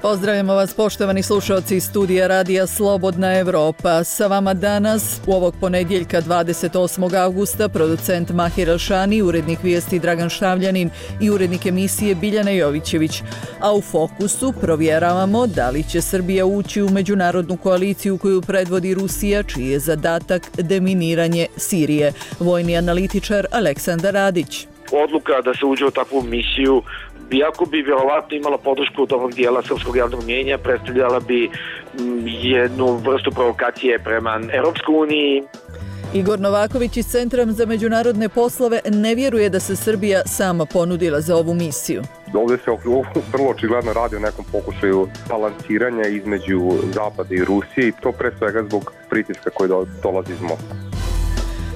Pozdravljamo vas poštovani slušalci iz studija Radija Slobodna Evropa. Sa vama danas, u ovog ponedjeljka 28. augusta, producent Mahir Elšani, urednik vijesti Dragan Štavljanin i urednik emisije Biljana Jovićević. A u fokusu provjeravamo da li će Srbija ući u međunarodnu koaliciju koju predvodi Rusija, čiji je zadatak deminiranje Sirije. Vojni analitičar Aleksandar Radić. Odluka da se uđe u takvu misiju, iako bi vjerovatno imala podršku od ovog dijela srpskog javnog mnijenja, predstavljala bi jednu vrstu provokacije prema Europskoj uniji. Igor Novaković iz Centra za međunarodne poslove ne vjeruje da se Srbija sama ponudila za ovu misiju. Ovdje se vrlo očigledno radi o nekom pokušaju balansiranja između Zapada i Rusije i to pre svega zbog pritiska koji dolazi iz Moskve.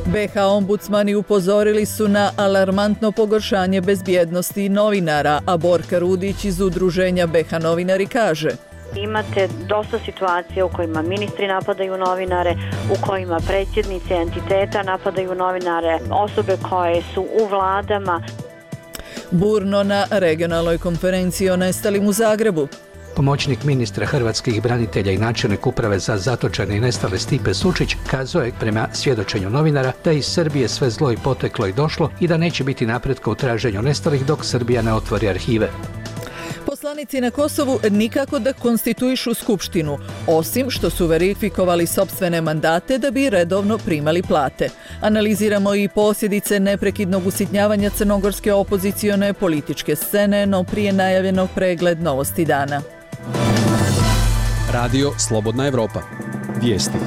BiH ombudsmani upozorili su na alarmantno pogoršanje bezbjednosti novinara, a Borka Rudić iz udruženja BiH novinari kaže: Imate dosta situacija u kojima ministri napadaju novinare, u kojima predsjednici entiteta napadaju novinare, osobe koje su u vladama. Burno na regionalnoj konferenciji o nestalim u Zagrebu. Pomoćnik ministra hrvatskih branitelja i načelnik uprave za zatočene i nestale Stipe Sučić kazao je prema svjedočenju novinara da iz Srbije sve zlo i poteklo i došlo i da neće biti napretka u traženju nestalih dok Srbija ne otvori arhive. Poslanici na Kosovu nikako da konstituišu skupštinu, osim što su verifikovali sopstvene mandate da bi redovno primali plate. Analiziramo i posljedice neprekidnog usitnjavanja crnogorske opozicione političke scene, no prije najavljenog pregled novosti dana. Radio Slobodna Evropa. Vijesti.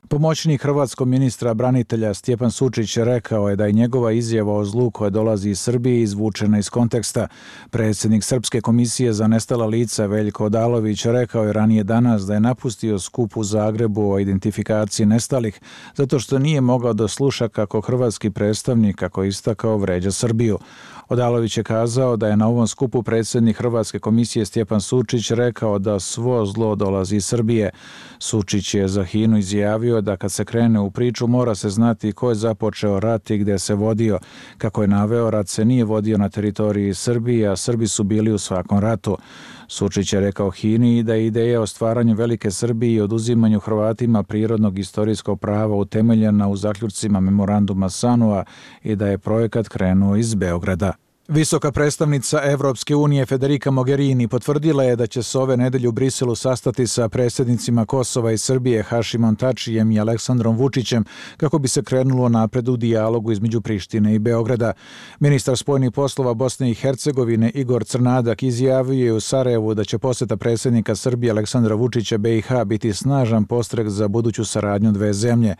Pomoćnik hrvatskog ministra branitelja Stjepan Sučić rekao je da je njegova izjava o zlu koja dolazi iz Srbije izvučena iz konteksta. Predsjednik Srpske komisije za nestala lica Veljko Odalović rekao je ranije danas da je napustio skup u Zagrebu o identifikaciji nestalih zato što nije mogao da sluša kako hrvatski predstavnik, kako je istakao, vređa Srbiju. Odalović je kazao da je na ovom skupu predsjednik Hrvatske komisije Stjepan Sučić rekao da svo zlo dolazi iz Srbije. Sučić je za HINA-u izjavio da kad se krene u priču mora se znati ko je započeo rat i gdje se vodio. Kako je naveo, rat se nije vodio na teritoriji Srbije, a Srbi su bili u svakom ratu. Sučić je rekao HINA-i da je ideja o stvaranju velike Srbije i oduzimanju Hrvatima prirodnog istorijskog prava utemeljena u zaključcima memoranduma SANU-a i da je projekat krenuo iz Beograda. Visoka predstavnica Evropske unije Federica Mogherini potvrdila je da će se ove nedelje u Briselu sastati sa predsjednicima Kosova i Srbije Hašimom Tačijem i Aleksandrom Vučićem kako bi se krenulo napred u dijalogu između Prištine i Beograda. Ministar spoljnih poslova Bosne i Hercegovine Igor Crnadak izjavio je u Sarajevu da će posjeta predsjednika Srbije Aleksandra Vučića BiH biti snažan postrek za buduću saradnju dve zemlje.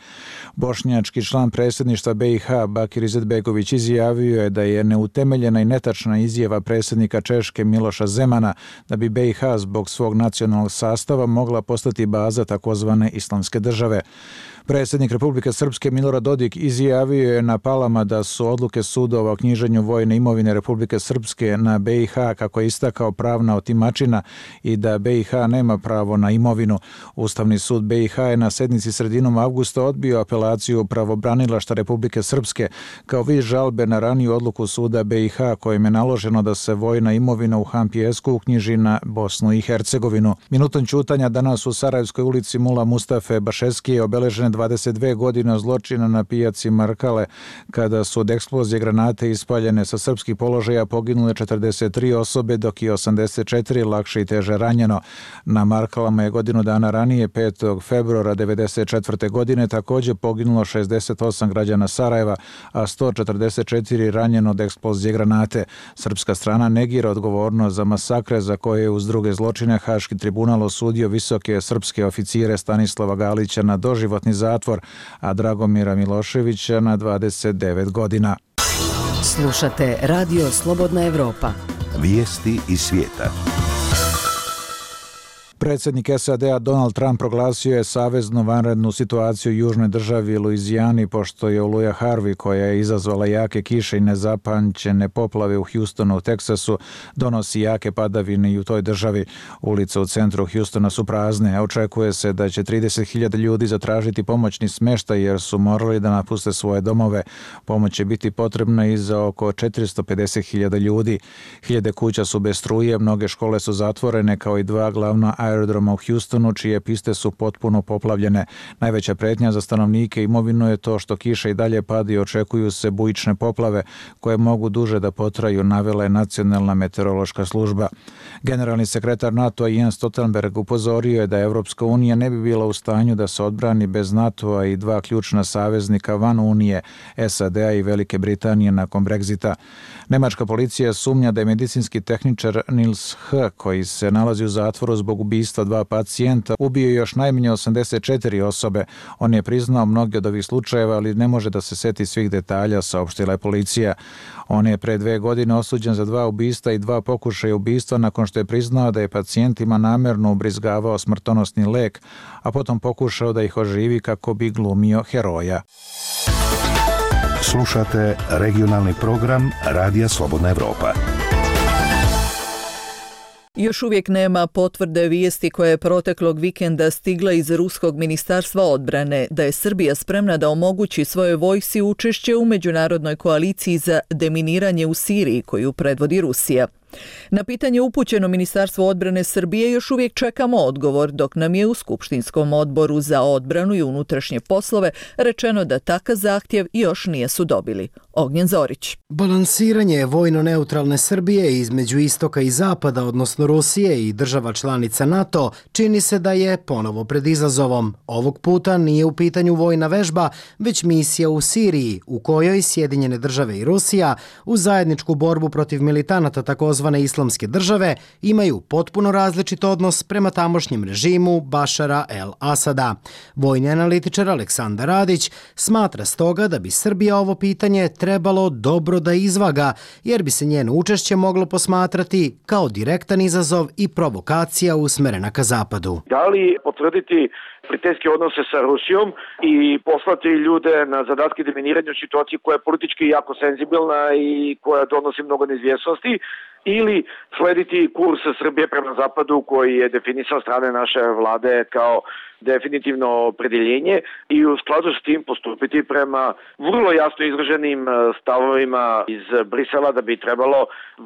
Bošnjački član predsjedništva BiH Bakir Izetbegović izjavio je da je neutemeljena i netačna izjava predsjednika Češke Miloša Zemana da bi BiH zbog svog nacionalnog sastava mogla postati baza takozvane islamske države. Predsjednik Republike Srpske Milorad Dodik izjavio je na Palama da su odluke sudova o knjiženju vojne imovine Republike Srpske na BiH, kako je istakao, pravna otimačina i da BiH nema pravo na imovinu. Ustavni sud BiH je na sednici sredinom avgusta odbio apelaciju pravobranilaštva Republike Srpske kao vid žalbe na raniju odluku suda BiH kojim je naloženo da se vojna imovina u Hampijesku uknjiži na Bosnu i Hercegovinu. Minutom ćutanja danas u Sarajevskoj ulici Mula Mustafe Bašeski je obeležen 22 godine zločina na pijaci Markale, kada su od eksplozije granate ispaljene sa srpskih položaja poginule 43 osobe, dok je 84 lakše i teže ranjeno. Na Markalama je godinu dana ranije, 5. februara 1994. godine, također poginulo 68 građana Sarajeva, a 144 ranjeno od eksplozije granate. Srpska strana negira odgovornost za masakre za koje je uz druge zločine Haški tribunal osudio visoke srpske oficire Stanislava Galića na doživotni zatvor, a Dragomira Miloševića na 29 godina. Slušate Radio Slobodna Evropa. Vijesti iz svijeta. Predsjednik SAD-a Donald Trump proglasio je saveznu vanrednu situaciju u južnoj državi Luizijani pošto je oluja Harvey, koja je izazvala jake kiše i nezapamćene poplave u Houstonu u Teksasu, donosi jake padavine i u toj državi. Ulice u centru Houstona su prazne, a očekuje se da će 30.000 ljudi zatražiti pomoćni smještaj jer su morali da napuste svoje domove. Pomoć će biti potrebna i za oko 450.000 ljudi. Hiljade kuća su bez struje, mnoge škole su zatvorene, kao i dva glavna aerodroma u Houstonu, čije piste su potpuno poplavljene. Najveća pretnja za stanovnike i imovinu je to što kiša i dalje pada i očekuju se bujične poplave koje mogu duže da potraju, navela je Nacionalna meteorološka služba. Generalni sekretar NATO-a Jens Stoltenberg upozorio je da Evropska unija ne bi bila u stanju da se odbrani bez NATO-a i dva ključna saveznika van Unije, SAD-a i Velike Britanije nakon Brexita. Nemačka policija sumnja da je medicinski tehničar Nils H., koji se nalazi u zatvoru zbog ubistva dva pacijenta, ubio još najmanje 84 osobe. On je priznao mnoge od ovih slučajeva, ali ne može da se seti svih detalja, saopštila je policija. On je pre 2 godine osuđen za 2 ubistva i 2 pokušaja ubistva nakon što je priznao da je pacijentima namerno ubrizgavao smrtonosni lek, a potom pokušao da ih oživi kako bi glumio heroja. Slušate regionalni program Radija Slobodna Evropa. Još uvijek nema potvrde vijesti koja je proteklog vikenda stigla iz Ruskog ministarstva odbrane da je Srbija spremna da omogući svojoj vojsci učešće u međunarodnoj koaliciji za deminiranje u Siriji koju predvodi Rusija. Na pitanje upućeno Ministarstvu odbrane Srbije još uvijek čekamo odgovor, dok nam je u Skupštinskom odboru za odbranu i unutrašnje poslove rečeno da takav zahtjev još nisu dobili. Ognjen Zorić. Balansiranje vojno-neutralne Srbije između istoka i zapada, odnosno Rusije i država članica NATO, čini se da je ponovo pred izazovom. Ovog puta nije u pitanju vojna vežba, već misija u Siriji, u kojoj Sjedinjene države i Rusija u zajedničku borbu protiv militanata takozvane Islamske države imaju potpuno različit odnos prema tamošnjem režimu Bašara el-Asada. Vojni analitičar Aleksandar Radić smatra stoga da bi Srbija ovo pitanje trebalo dobro da izvaga, jer bi se njeno učešće moglo posmatrati kao direktan izazov i provokacija usmerena ka zapadu. Da li potvrditi prijateljske odnose sa Rusijom i poslati ljude na zadatke deminiranja u situaciji koja je politički jako senzibilna i koja donosi mnogo neizvjesnosti, ili slediti kurs Srbije prema zapadu koji je definisan strane naše vlade kao definitivno opredjeljenje i u skladu s tim postupiti prema vrlo jasno izraženim stavovima iz Brisela da bi trebalo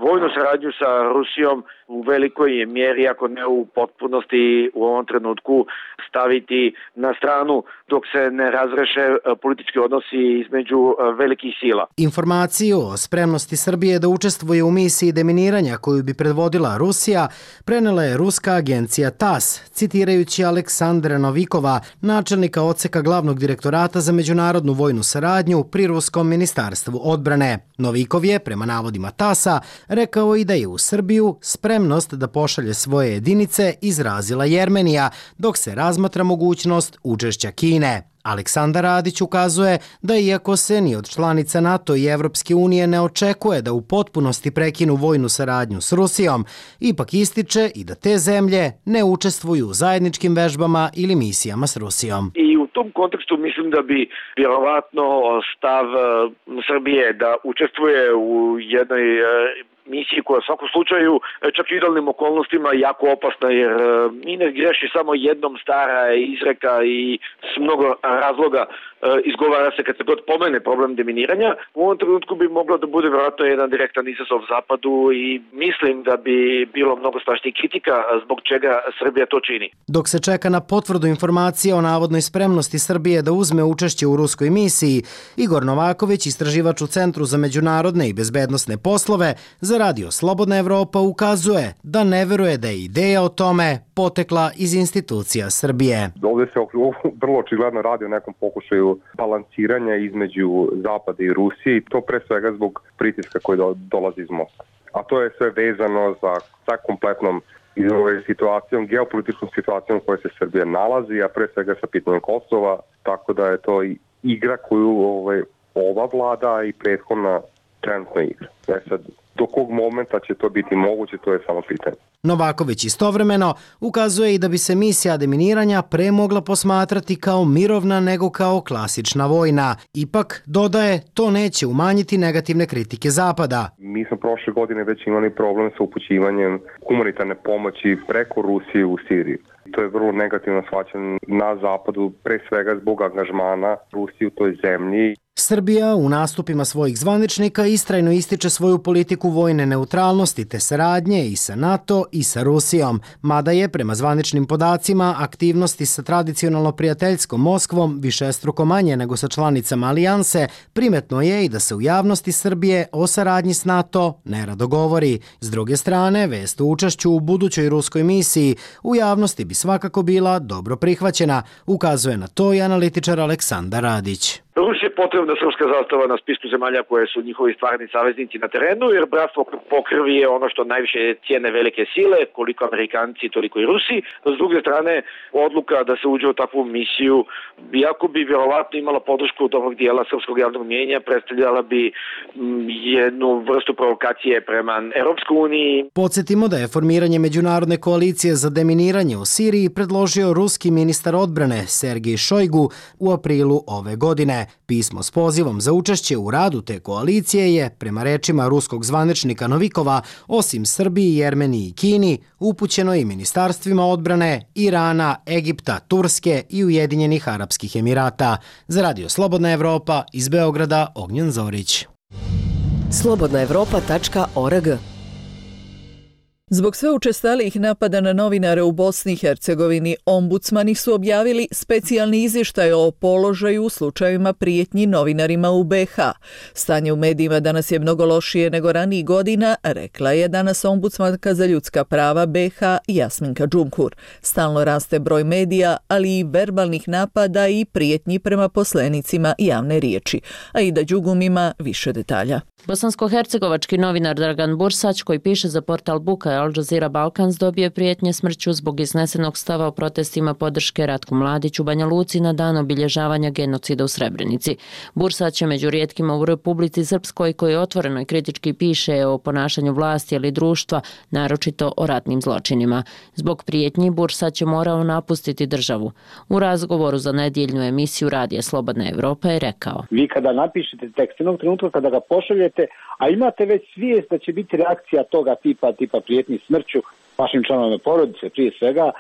vojnu saradnju sa Rusijom u velikoj mjeri, ako ne u potpunosti, u ovom trenutku staviti na stranu dok se ne razreše politički odnosi između velikih sila. Informaciju o spremnosti Srbije da učestvuje u misiji deminiranja koju bi predvodila Rusija prenela je ruska agencija TASS, citirajući Aleksandra Novikova, načelnika odseka glavnog direktorata za međunarodnu vojnu saradnju pri Ruskom ministarstvu odbrane. Novikov je, prema navodima TASS-a, rekao i da je u Srbiju spremnost da pošalje svoje jedinice izrazila Jermenija, dok se razmatra mogućnost učešća Kine. Aleksandar Radić ukazuje da iako se ni od članica NATO i Evropske unije ne očekuje da u potpunosti prekinu vojnu saradnju s Rusijom, ipak ističe i da te zemlje ne učestvuju u zajedničkim vežbama ili misijama s Rusijom. I u tom kontekstu mislim da bi vjerovatno stav Srbije da učestvuje u jednoj misiji koja u svakom slučaju čak i idealnim okolnostima jako opasna, jer mi ne greši samo jednom stara izreka i s mnogo razloga izgovara se kad se god pomene problem deminiranja. U ovom trenutku bi moglo da bude vjerojatno jedan direktan izazov zapadu i mislim da bi bilo mnogo strašnijih kritika zbog čega Srbija to čini. Dok se čeka na potvrdu informacije o navodnoj spremnosti Srbije da uzme učešće u ruskoj misiji, Igor Novaković, istraživač u Centru za međunarodne i bezbednosne poslove za Radio Slobodna Evropa, ukazuje da ne veruje da je ideja o tome potekla iz institucija Srbije. Ovdje se vrlo očigledno radi o nekom pokušaju balansiranja između Zapada i Rusije i to pre svega zbog pritiska koji dolazi iz Moskve. A to je sve vezano sa kompletnom situacijom, geopolitičkom situacijom u kojoj se Srbija nalazi, a pre svega sa pitanjem Kosova, tako da je to igra koju ova vlada i prethodna trenutno igra. Sad, Do kog momenta će to biti moguće, to je samo pitanje. Novaković istovremeno ukazuje i da bi se misija deminiranja pre mogla posmatrati kao mirovna nego kao klasična vojna. Ipak, dodaje, to neće umanjiti negativne kritike Zapada. Mi smo prošle godine već imali problem sa upućivanjem humanitarne pomoći preko Rusije u Siriji. To je vrlo negativno shvaćeno na Zapadu, pre svega zbog angažmana Rusije u toj zemlji. Srbija u nastupima svojih zvaničnika istrajno ističe svoju politiku vojne neutralnosti te saradnje i sa NATO i sa Rusijom, mada je prema zvaničnim podacima aktivnosti sa tradicionalno prijateljskom Moskvom višestruko manje nego sa članicama alijanse, primetno je i da se u javnosti Srbije o saradnji s NATO nerado govori. S druge strane, vest o učešću u budućoj ruskoj misiji u javnosti bi svakako bila dobro prihvaćena, ukazuje na to i analitičar Aleksandar Radić. Rusiji je potrebna srpska zastava na spisku zemalja koje su njihovi stvarni saveznici na terenu, jer bratstvo po krvi je ono što najviše cijene velike sile, koliko Amerikanci, toliko i Rusi. S druge strane, odluka da se uđe u takvu misiju, iako bi vjerovatno imala podršku dobrog dijela srpskog javnog mnijenja, predstavljala bi jednu vrstu provokacije prema Europskoj uniji. Podsjetimo da je formiranje međunarodne koalicije za deminiranje u Siriji predložio ruski ministar odbrane Sergej Šojgu u aprilu ove godine. Pismo s pozivom za učešće u radu te koalicije je, prema rečima ruskog zvaničnika Novikova, osim Srbiji, Jermeniji i Kini, upućeno i ministarstvima odbrane Irana, Egipta, Turske i Ujedinjenih Arapskih Emirata. Za Radio Slobodna Evropa, iz Beograda, Ognjen Zorić. slobodnaevropa.org. Zbog sve učestalijih napada na novinare u Bosni i Hercegovini, ombudsmani su objavili specijalni izvještaj o položaju u slučajevima prijetnji novinarima u BiH. Stanje u medijima danas je mnogo lošije nego ranijih godina, rekla je danas ombudsmanka za ljudska prava BiH Jasminka Džumhur. Stalno raste broj medija, ali i verbalnih napada i prijetnji prema poslenicima javne riječi. Aida Đugum ima više detalja. Bosansko-hercegovački novinar Dragan Bursać, koji piše za portal Buka i Al Jazeera Balkans, dobio prijetnje smrću zbog iznesenog stava o protestima podrške Ratku Mladiću u Banja Luci na dan obilježavanja genocida u Srebrenici. Bursać je među rijetkima u Republici Srpskoj koji otvoreno i kritički piše o ponašanju vlasti ili društva, naročito o ratnim zločinima. Zbog prijetnji Bursać je morao napustiti državu. U razgovoru za nedjeljnu emisiju Radija Slobodna Evropa je rekao: Vi kada napišete tekst, jednog trenutka kada ga pošaljete, a imate već svijest da će biti reakcija toga tipa prijetnji smrću vašim članovima porodice, prije svega,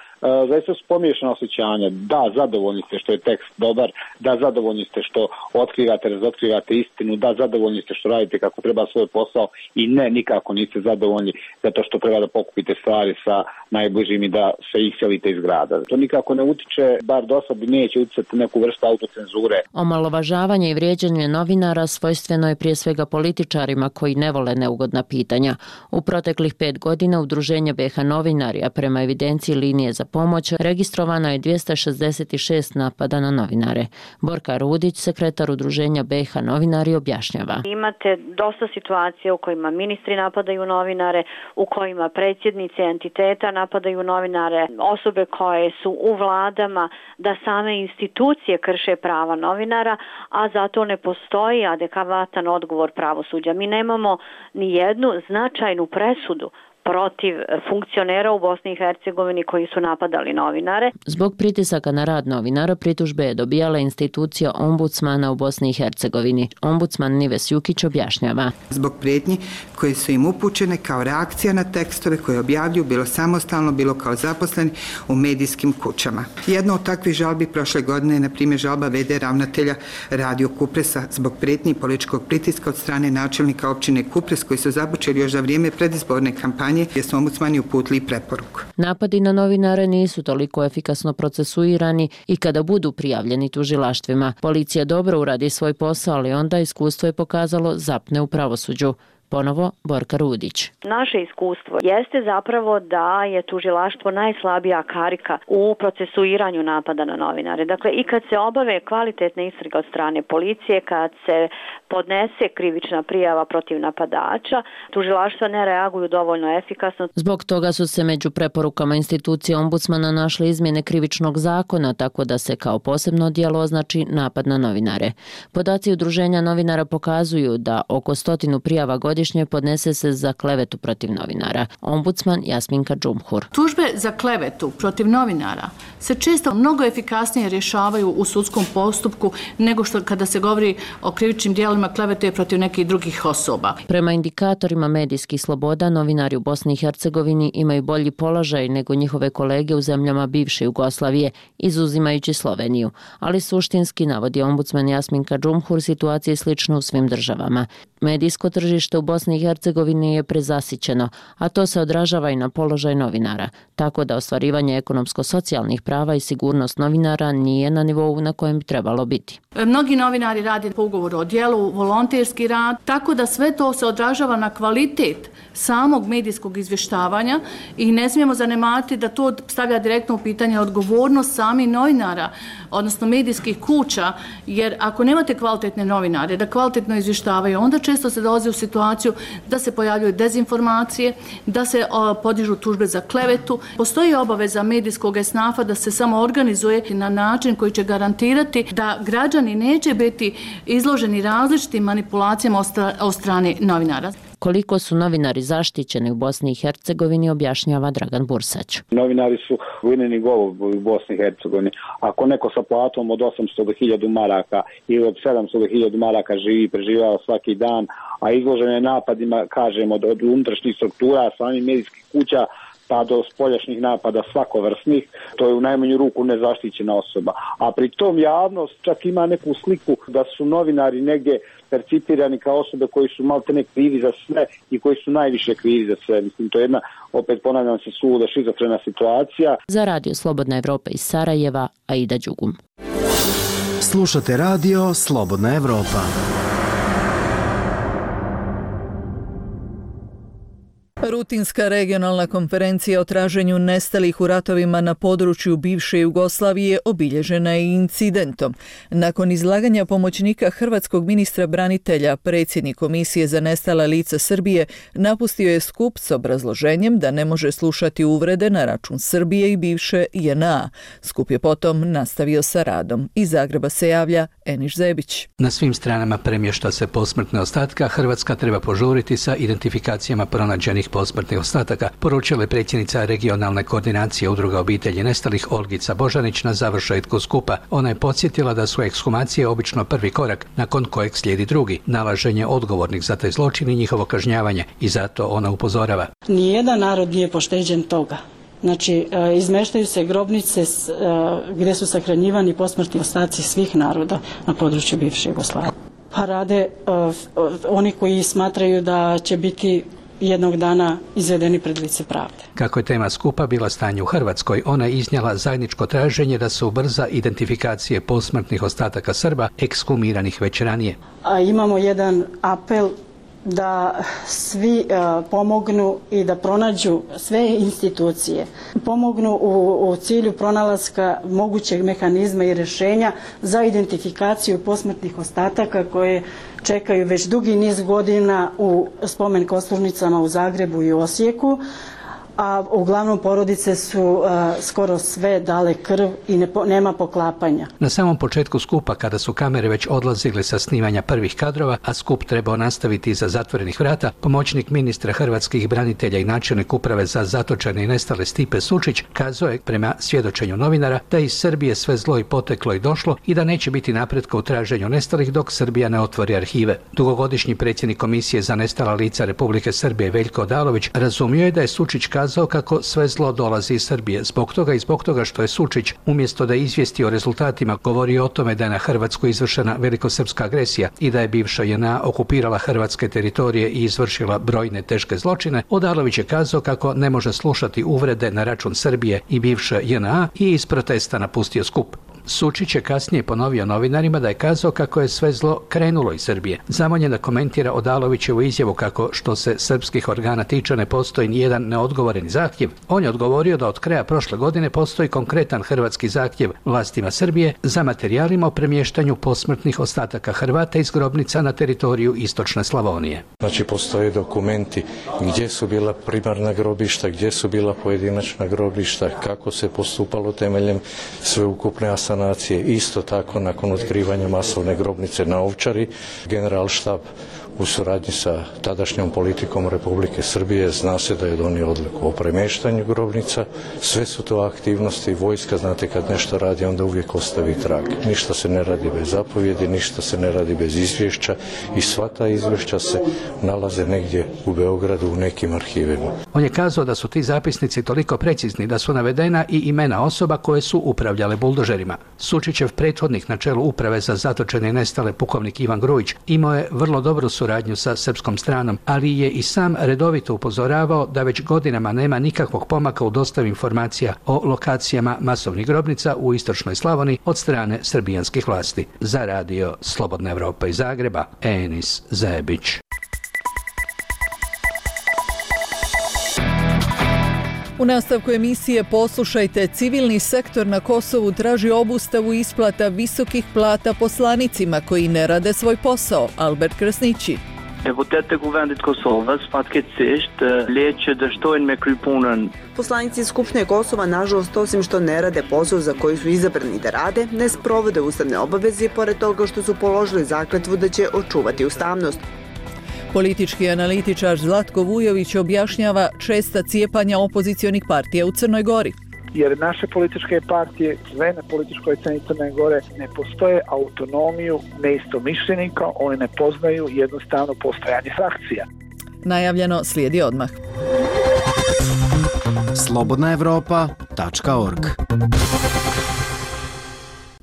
zaista su pomiješana osjećanja. Da, zadovoljni ste što je tekst dobar, da, zadovoljni ste što otkrivate, razotkrivate istinu, da, zadovoljni ste što radite kako treba svoj posao i ne, nikako niste zadovoljni zato što treba da pokupite stvari sa najbližim i da se iselite iz grada. To nikako ne utiče, bar do sad neće uticati neku vrstu autocenzure. Omalovažavanje i vrijeđanje novinara svojstveno je prije svega političarima koji ne vole neugodna pitanja. U proteklih 5 godina Udruženje BiH novinari, a prema evidenciji linije za pomoć, registrovano je 266 napada na novinare. Borka Rudić, sekretar Udruženja BiH novinari, objašnjava. Imate dosta situacija u kojima ministri napadaju novinare, u kojima predsjednici entiteta napadaju novinare, osobe koje su u vladama, da same institucije krše prava novinara, a zato ne postoji adekvatan odgovor pravosuđa. Mi nemamo ni jednu značajnu presudu protiv funkcionera u Bosni i Hercegovini koji su napadali novinare. Zbog pritisaka na rad novinara pritužbe je dobijala institucija ombudsmana u Bosni i Hercegovini. Ombudsman Nives Jukić objašnjava. Zbog prijetnji koje su im upućene kao reakcija na tekstove koje objavljuju bilo samostalno, bilo kao zaposleni u medijskim kućama. Jedna od takvih žalbi prošle godine je na primjer žalba v.d. ravnatelja Radio Kupresa zbog prijetnji i političkog pritiska od strane načelnika općine Kupres koji su započeli još za vrijeme predizborne kampanje gdje su ombudsmani uputili preporuku. Napadi na novinare nisu toliko efikasno procesuirani i kada budu prijavljeni tužilaštvima. Policija dobro uradi svoj posao, ali onda iskustvo je pokazalo zapne u pravosuđu. Ponovo Borka Rudić. Naše iskustvo jeste zapravo da je tužilaštvo najslabija karika u procesuiranju napada na novinare. Dakle, i kad se obave kvalitetne istrage od strane policije, kad se podnese krivična prijava protiv napadača, tužilaštva ne reaguju dovoljno efikasno. Zbog toga su se među preporukama institucije ombudsmana našle izmjene krivičnog zakona, tako da se kao posebno djelo označi napad na novinare. Podaci Udruženja novinara pokazuju da oko 100 prijava godišnje godišnje podnese se za klevetu protiv novinara. Ombudsman Jasminka Džumhur. Tužbe za klevetu protiv novinara se često mnogo efikasnije rješavaju u sudskom postupku nego što kada se govori o krivičnim djelima klevete protiv nekih drugih osoba. Prema indikatorima medijskih sloboda, novinari u Bosni i Hercegovini imaju bolji položaj nego njihove kolege u zemljama bivše Jugoslavije, izuzimajući Sloveniju. Ali suštinski, navodi ombudsman Jasminka Džumhur, situacija je slična u svim državama. Medijsko tržište u Bosni i Hercegovini je prezasićeno, a to se odražava i na položaj novinara, tako da ostvarivanje ekonomsko-socijalnih prava i sigurnost novinara nije na nivou na kojem bi trebalo biti. Mnogi novinari rade po ugovoru o djelu, volonterski rad, tako da sve to se odražava na kvalitet samog medijskog izvještavanja i ne smijemo zanemariti da to stavlja direktno u pitanje odgovornost samih novinara, odnosno medijskih kuća, jer ako nemate kvalitetne novinare da kvalitetno izvještavaju, onda često se dolazi u situaciju da se pojavljuju dezinformacije, da se podižu tužbe za klevetu. Postoji obaveza medijskog esnafa da se samo organizuje na način koji će garantirati da građani neće biti izloženi različitim manipulacijama od strane novinara. Koliko su novinari zaštićeni u Bosni i Hercegovini, objašnjava Dragan Bursać. Novinari su vojni golub u Bosni i Hercegovini. Ako neko sa platom od 800 do 1000 maraka ili od 700 do 1000 maraka živi i preživljava svaki dan, a izložen je napadima, kažemo, od unutrašnjih struktura, samih medijskih kuća, pa do spoljašnjih napada svakovrsnih, to je u najmanju ruku nezaštićena osoba. A pri tom javnost čak ima neku sliku da su novinari negdje percipirani kao osobe koji su maltene krivi za sve i koji su najviše krivi za sve. Mislim, to je jedna, opet ponavljam se, suluda šizofrena situacija. Za Radio Slobodna Evropa iz Sarajeva, Aida Đugum. Slušate Radio Slobodna Evropa. Rutinska regionalna konferencija o traženju nestalih u ratovima na području bivše Jugoslavije obilježena je incidentom. Nakon izlaganja pomoćnika hrvatskog ministra branitelja, predsjednik Komisije za nestala lica Srbije napustio je skup s obrazloženjem da ne može slušati uvrede na račun Srbije i bivše JNA. Skup je potom nastavio sa radom. Iz Zagreba se javlja Eniš Zebić. Na svim stranama premješta se posmrtne ostatka, Hrvatska treba požuriti sa identifikacijama pronađenih posmrtnih ostataka, poručila je predsjednica regionalne koordinacije udruga obitelji nestalih Olgica Božanić na završetku skupa. Ona je podsjetila da su ekshumacije obično prvi korak, nakon kojeg slijedi drugi, nalaženje odgovornih za taj zločin i njihovo kažnjavanje, i zato ona upozorava. Nijedan narod nije pošteđen toga. Znači, izmeštaju se grobnice gdje su sahranjivani posmrtni ostaci svih naroda na području bivše Jugoslavije. Pa rade oni koji smatraju da će biti jednog dana izvedeni pred lice pravde. Kako je tema skupa bila stanje u Hrvatskoj, ona je iznijela zajedničko traženje da se ubrza identifikacije posmrtnih ostataka Srba ekshumiranih već ranije. A imamo jedan apel da svi pomognu i da pronađu sve institucije, pomognu u cilju pronalaska mogućeg mehanizma i rješenja za identifikaciju posmrtnih ostataka koje čekaju već dugi niz godina u spomen kosturnicama u Zagrebu i Osijeku, a uglavnom porodice su skoro sve dale krv i nema poklapanja. Na samom početku skupa, kada su kamere već odlazile sa snimanja prvih kadrova, a skup trebao nastaviti iza zatvorenih vrata, pomoćnik ministra hrvatskih branitelja i načelnik uprave za zatočene i nestale Stipe Sučić kazao je, prema svjedočenju novinara, da iz Srbije sve zlo i poteklo i došlo i da neće biti napretka u traženju nestalih dok Srbija ne otvori arhive. Dugogodišnji predsjednik Komisije za nestala lica Republike Srbije Veljko Odalović razumio je da je Sučić kazao kako sve zlo dolazi iz Srbije. Zbog toga što je Sučić, umjesto da izvijesti o rezultatima, govori o tome da je na Hrvatsku izvršena velikosrpska agresija i da je bivša JNA okupirala hrvatske teritorije i izvršila brojne teške zločine, Odalović je kazao kako ne može slušati uvrede na račun Srbije i bivše JNA i iz protesta napustio skup. Sučić je kasnije ponovio novinarima da je kazao kako je sve zlo krenulo iz Srbije. Zamoljen da komentira Odalovićevu izjavu kako, što se srpskih organa tiče, ne postoji nijedan neodgovoreni zahtjev. On je odgovorio da od kraja prošle godine postoji konkretan hrvatski zahtjev vlastima Srbije za materijalima o premještanju posmrtnih ostataka Hrvata iz grobnica na teritoriju istočne Slavonije. Znači, postoje dokumenti gdje su bila primarna grobišta, gdje su bila pojedinačna grobišta, kako se postupalo temeljem sveukupne asanacije. Isto tako, nakon otkrivanja masovne grobnice na Ovčari, generalštab u suradnji sa tadašnjom politikom Republike Srbije. Zna se da je donio odluku o premještanju grobnica. Sve su to aktivnosti. Vojska, znate, kad nešto radi, onda uvijek ostavi trag. Ništa se ne radi bez zapovjedi, ništa se ne radi bez izvješća i sva ta izvješća se nalaze negdje u Beogradu u nekim arhivima. On je kazao da su ti zapisnici toliko precizni da su navedena i imena osoba koje su upravljale buldožerima. Sučićev prethodnik na čelu uprave za zatočene i nestale pukovnik Ivan Grujić imao je vrlo dobru suradnju sa srpskom stranom, ali je i sam redovito upozoravao da već godinama nema nikakvog pomaka u dostavi informacija o lokacijama masovnih grobnica u istočnoj Slavoniji od strane srbijanskih vlasti. Za radio Slobodna Evropa iz Zagreba, Enis Zebić. U nastavku emisije poslušajte, civilni sektor na Kosovu traži obustavu isplata visokih plata poslanicima koji ne rade svoj posao. Albert Krasniqi. Deputetët e Kuvendit Kosovës fatkeqësisht letë që dështojnë me kry punën. Poslanici Skupštine Kosova, nažalost, osim što ne rade posao za koji su izabrani da rade, ne sprovode ustavne obaveze pored toga što su položili zakletvu da će očuvati ustavnost. Politički analitičar Zlatko Vujović objašnjava česta cijepanja opozicionih partija u Crnoj Gori. Jer naše političke partije, sve na političkoj sceni Crne Gore, ne postoje autonomiju neistomišljenika, oni ne poznaju jednostavno postojanje frakcija. Najavljeno slijedi odmah. slobodnaevropa.org.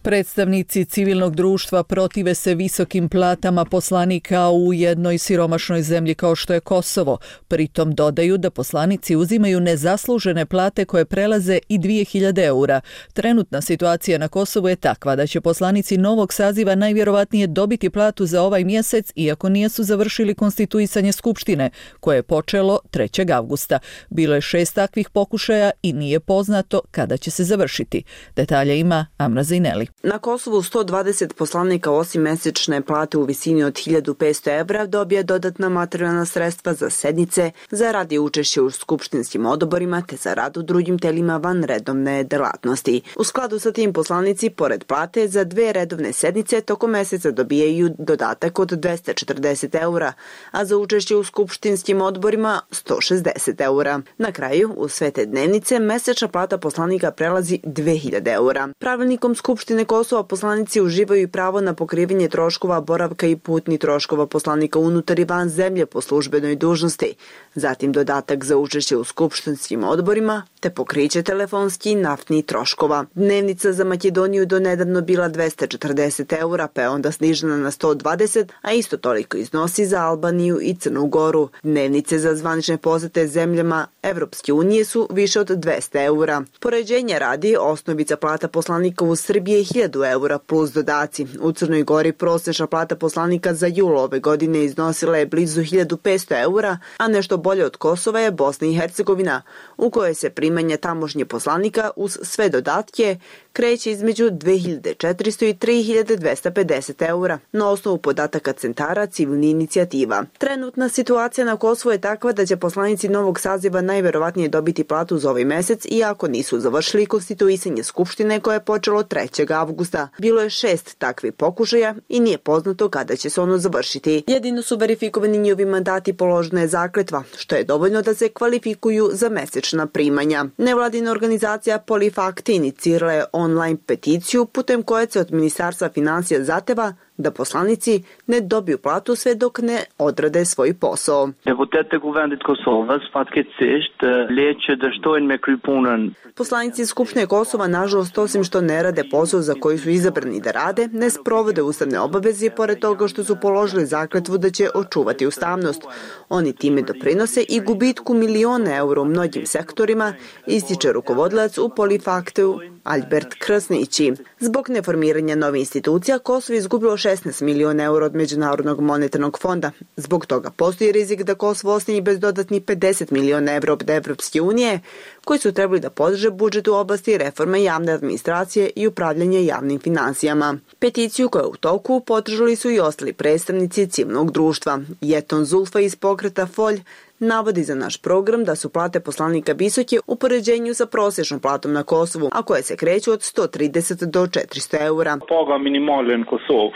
Predstavnici civilnog društva protive se visokim platama poslanika u jednoj siromašnoj zemlji kao što je Kosovo. Pritom dodaju da poslanici uzimaju nezaslužene plate koje prelaze i 2000 eura. Trenutna situacija na Kosovu je takva da će poslanici novog saziva najvjerovatnije dobiti platu za ovaj mjesec, iako nisu završili konstituisanje Skupštine, koje je počelo 3. avgusta. Bilo je 6 takvih pokušaja i nije poznato kada će se završiti. Detalje ima Amra Zineli. Na Kosovu 120 poslanika osim mesečne plate u visini od 1500 evra dobije dodatna materijalna sredstva za sednice, za rad i učešće u skupštinskim odborima te za rad u drugim telima van redovne delatnosti. U skladu sa tim poslanici, pored plate, za 2 redovne sednice tokom meseca dobijaju dodatak od 240 eura, a za učešće u skupštinskim odborima 160 eura. Na kraju, u sve te dnevnice, mesečna plata poslanika prelazi 2000 eura. Pravilnikom Skupštine Kosova poslanici uživaju i pravo na pokrivanje troškova boravka i putnih troškova poslanika unutar i van zemlje po službenoj dužnosti, zatim dodatak za učešće u skupštinskim odborima te pokriće telefonski i naftnih troškova. Dnevnica za Makedoniju do nedavno bila 240 eura, pa je onda snižena na 120, a isto toliko iznosi za Albaniju i Crnu Goru. Dnevnice za zvanične posete zemljama Evropske unije su više od 200 eura. Poređenja radi, osnovica plata poslanika u Srbiji je 1000 eura plus dodaci. U Crnoj Gori prosječna plata poslanika za jul ove godine iznosila je blizu 1500 eura, a nešto bolje od Kosova je Bosna i Hercegovina, u kojoj se primanja tamošnje poslanika uz sve dodatke kreće između 2400 i 3250 eura, na osnovu podataka centara civilnih inicijativa. Trenutna situacija na Kosovu je takva da će poslanici novog saziva najverovatnije dobiti platu za ovaj mesec, iako nisu završili konstituisanje Skupštine koje je počelo 3. avgusta. Bilo je 6 takvih pokušaja i nije poznato kada će se ono završiti. Jedino su verifikovani njihovi mandati, položena je zakletva, što je dovoljno da se kvalifikuju za mesečna primanja. Nevladina organizacija Polifakti inicirala je online peticiju putem koje se od Ministarstva finansija zahteva da poslanici ne dobiju platu sve dok ne odrade svoj posao. Deputetët e Kuvendit Kosovës fatkeqësisht letë që dështojnë me kry punën. Poslanici Skupštine Kosova, nažalost, osim što ne rade posao za koji su izabrani da rade, ne sprovode ustavne obaveze pored toga što su položili zakletvu da će očuvati ustavnost. Oni time doprinose i gubitku miliona eura u mnogim sektorima, ističe rukovodilac u Polifaktu Albert Krasniqi. Zbog neformiranja nove institucija, Kosovo je izgubilo 16 miliona eura od Međunarodnog monetarnog fonda. Zbog toga postoji rizik da Kosovo ostane bez dodatnih 50 miliona eura od Evropske unije, koji su trebali da podrže budžet u oblasti reforme javne administracije i upravljanje javnim finansijama. Peticiju koja je u toku podržali su i ostali predstavnici civilnog društva. Jeton Zulfa iz pokreta Folj navodi za naš program da su plate poslanika visoke u poređenju sa prosječnom platom na Kosovu, a koje se kreću od 130 do 400 eura.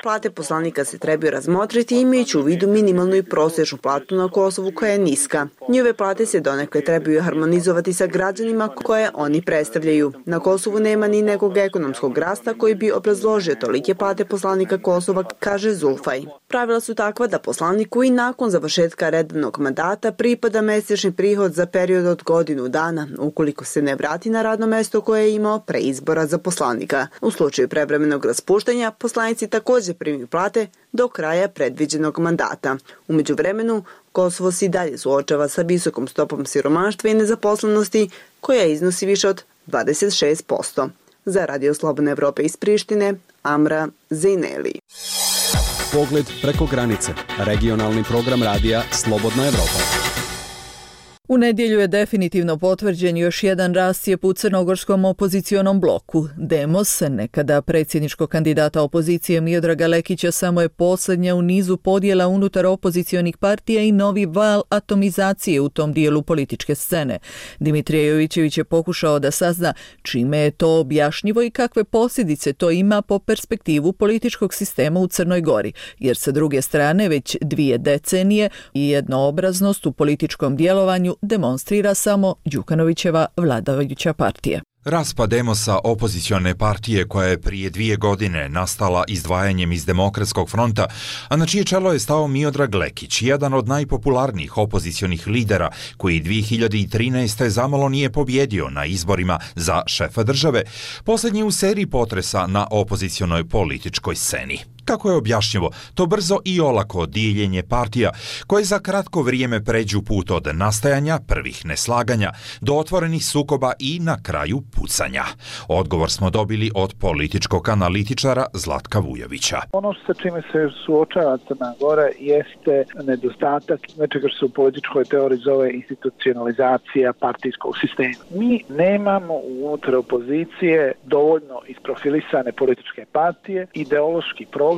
Plate poslanika se trebaju razmotriti imajući u vidu minimalnu i prosječnu platu na Kosovu koja je niska. Njove plate se donekle trebaju harmonizovati sa građanima koje oni predstavljaju. Na Kosovu nema ni nekog ekonomskog rasta koji bi obrazložio tolike plate poslanika Kosova, kaže Zulfaj. Pravila su takva da poslaniku i nakon završetka redovnog mandata pripada mesečni prihod za period od godinu dana, ukoliko se ne vrati na radno mesto koje je imao pre izbora za poslanika. U slučaju prevremenog raspuštanja, poslanici također primaju plate do kraja predviđenog mandata. U međuvremenu, Kosovo se i dalje suočava sa visokom stopom siromaštva i nezaposlenosti, koja iznosi više od 26%. Za Radio Slobodne Evrope iz Prištine, Amra Zejneli. Pogled preko granice. Regionalni program radija Slobodna Evropa. U nedjelju je definitivno potvrđen još jedan rascijep u crnogorskom opozicionom bloku. Demos, nekada predsjedničkog kandidata opozicije Miodraga Lekića, samo je posljednja u nizu podjela unutar opozicionih partija i novi val atomizacije u tom dijelu političke scene. Dimitrije Jovićević je pokušao da sazna čime je to objašnjivo i kakve posljedice to ima po perspektivu političkog sistema u Crnoj Gori, jer sa druge strane već 2 decenije i jednoobraznost u političkom djelovanju demonstrira samo Đukanovićeva vladajuća partija. Raspad Demosa, opozicione partije koja je prije 2 godine nastala izdvajanjem iz Demokratskog fronta, a na čije čelo je stao Miodrag Lekić, jedan od najpopularnijih opozicionih lidera koji 2013. zamalo nije pobjedio na izborima za šefa države, posljednji u seriji potresa na opozicionoj političkoj sceni. Kako je objašnjivo to brzo i olako dijeljenje partija koje za kratko vrijeme pređu put od nastajanja prvih neslaganja do otvorenih sukoba i na kraju pucanja? Odgovor smo dobili od političkog analitičara Zlatka Vujovića. Ono sa čime se suočava Crna Gora jeste nedostatak nečega što se u političkoj teoriji zove institucionalizacija partijskog sistema. Mi nemamo unutar opozicije dovoljno isprofilisane političke partije, ideološki programski.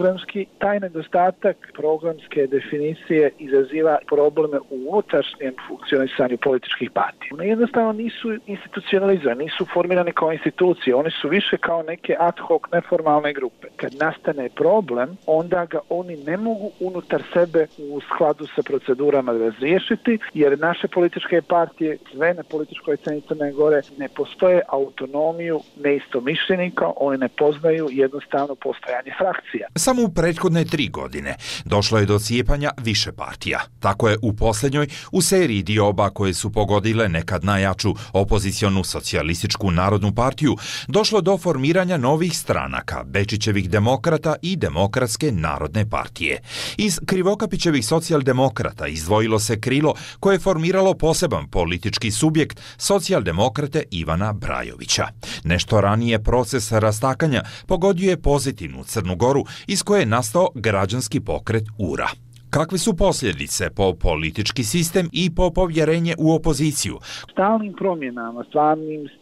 Taj nedostatak programske definicije izaziva probleme u unutrašnjem funkcionisanju političkih partija. One jednostavno nisu institucionalizovane, nisu formirane kao institucije, one su više kao neke ad hoc neformalne grupe. Kad nastane problem, onda ga oni ne mogu unutar sebe u skladu sa procedurama razriješiti, jer naše političke partije, sve na političkoj sceni Crne Gore, ne postoje autonomiju neistomišljenika, oni ne poznaju jednostavno postojanje frakcija. Samo u prethodne 3 godine došlo je do cijepanja više partija. Tako je u posljednjoj u seriji dioba koje su pogodile nekad najjaču opozicionu socijalističku narodnu partiju došlo do formiranja novih stranaka, Bečićevih demokrata i Demokratske narodne partije. Iz Krivokapićevih socijaldemokrata izdvojilo se krilo koje je formiralo poseban politički subjekt, socijaldemokrate Ivana Brajovića. Nešto ranije proces rastakanja pogodio je pozitivnu Crnu Goru iz koje je nastao građanski pokret URA. Kakve su posljedice po politički sistem i po povjerenje u opoziciju? Stalnim promjenama,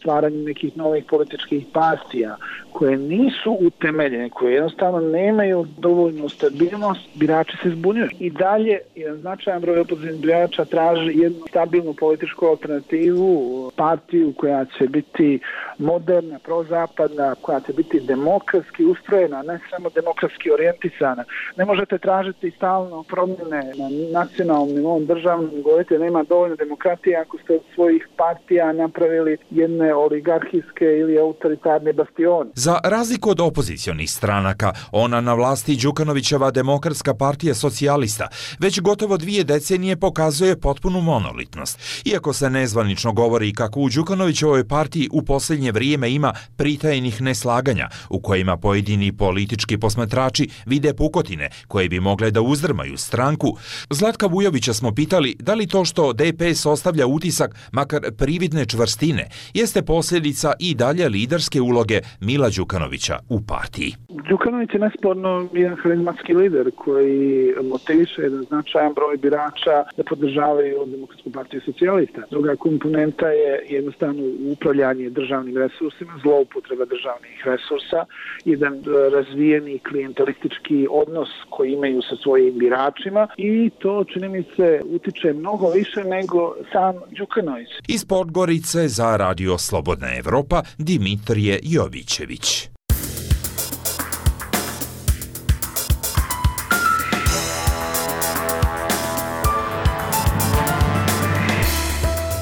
stvaranjem nekih novih političkih partija koje nisu utemeljene, koje jednostavno nemaju dovoljnu stabilnost, birači se zbunjuju. I dalje jedan značajan broj opozicionih birača traži jednu stabilnu političku alternativu, partiju koja će biti moderna, prozapadna, koja će biti demokratski ustrojena, ne samo demokratski orijentisana. Ne možete tražiti stalno promjene na nacionalnom nivou, državnom, govorite nema dovoljno demokratije ako ste od svojih partija napravili jedne oligarhijske ili autoritarne bastione. Za razliku od opozicionih stranaka, ona na vlasti Đukanovićeva Demokratska partija socijalista već gotovo 2 decenije pokazuje potpunu monolitnost. Iako se nezvanično govori kako u Đukanovićevoj partiji u posljednje vrijeme ima pritajenih neslaganja u kojima pojedini politički posmatrači vide pukotine koje bi mogle da uzdrmaju stranku. Zlatka Vujovića smo pitali da li to što DPS ostavlja utisak, makar prividne čvrstine, jeste posljedica i dalje liderske uloge Mila Đukanovića u partiji. Đukanović je nesporno jedan harizmatski lider koji motiviše jedan značajan broj birača da podržavaju Demokratsku partiju socijalista. Druga komponenta je jednostavno upravljanje državnim resursima, zloupotreba državnih resursa, jedan razvijeni klijentelistički odnos koji imaju sa svojim biračima i to, čini mi se, utiče mnogo više nego sam Đukanović. Iz Podgorice za Radio Slobodna Evropa Dimitrije Jovićević.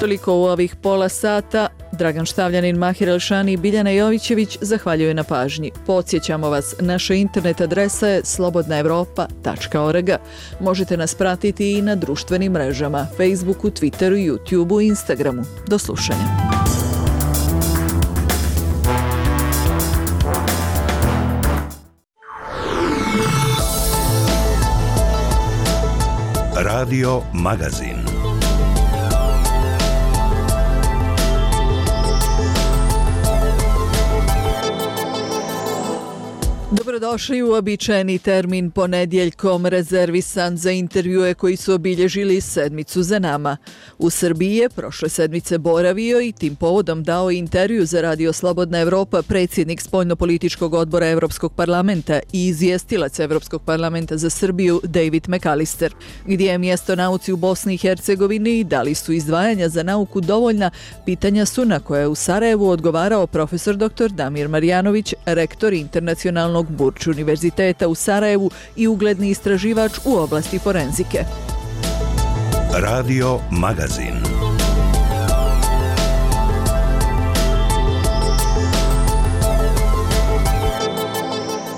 Toliko u ovih pola sata. Dragan Štavljanin, Mahir Elšani i Biljana Jovićević zahvaljuju na pažnji. Podsjećamo vas, naša internet adresa je slobodnaevropa.org. Možete nas pratiti i na društvenim mrežama, Facebooku, Twitteru, YouTubeu i Instagramu. Do slušanja. Radio Magazin. Dobrodošli u običajeni termin ponedjeljkom rezervisan za intervjue koji su obilježili sedmicu za nama. U Srbiji je prošle sedmice boravio i tim povodom dao intervju za Radio Slobodna Evropa predsjednik spoljnopolitičkog odbora Evropskog parlamenta i izvjestilac Evropskog parlamenta za Srbiju David McAllister. Gdje je mjesto nauci u Bosni i Hercegovini i da li su izdvajanja za nauku dovoljna, pitanja su na koje je u Sarajevu odgovarao profesor dr. Damir Marjanović, rektor internacionalnog Burč univerziteta u Sarajevu i ugledni istraživač u oblasti forenzike. Radio Magazin.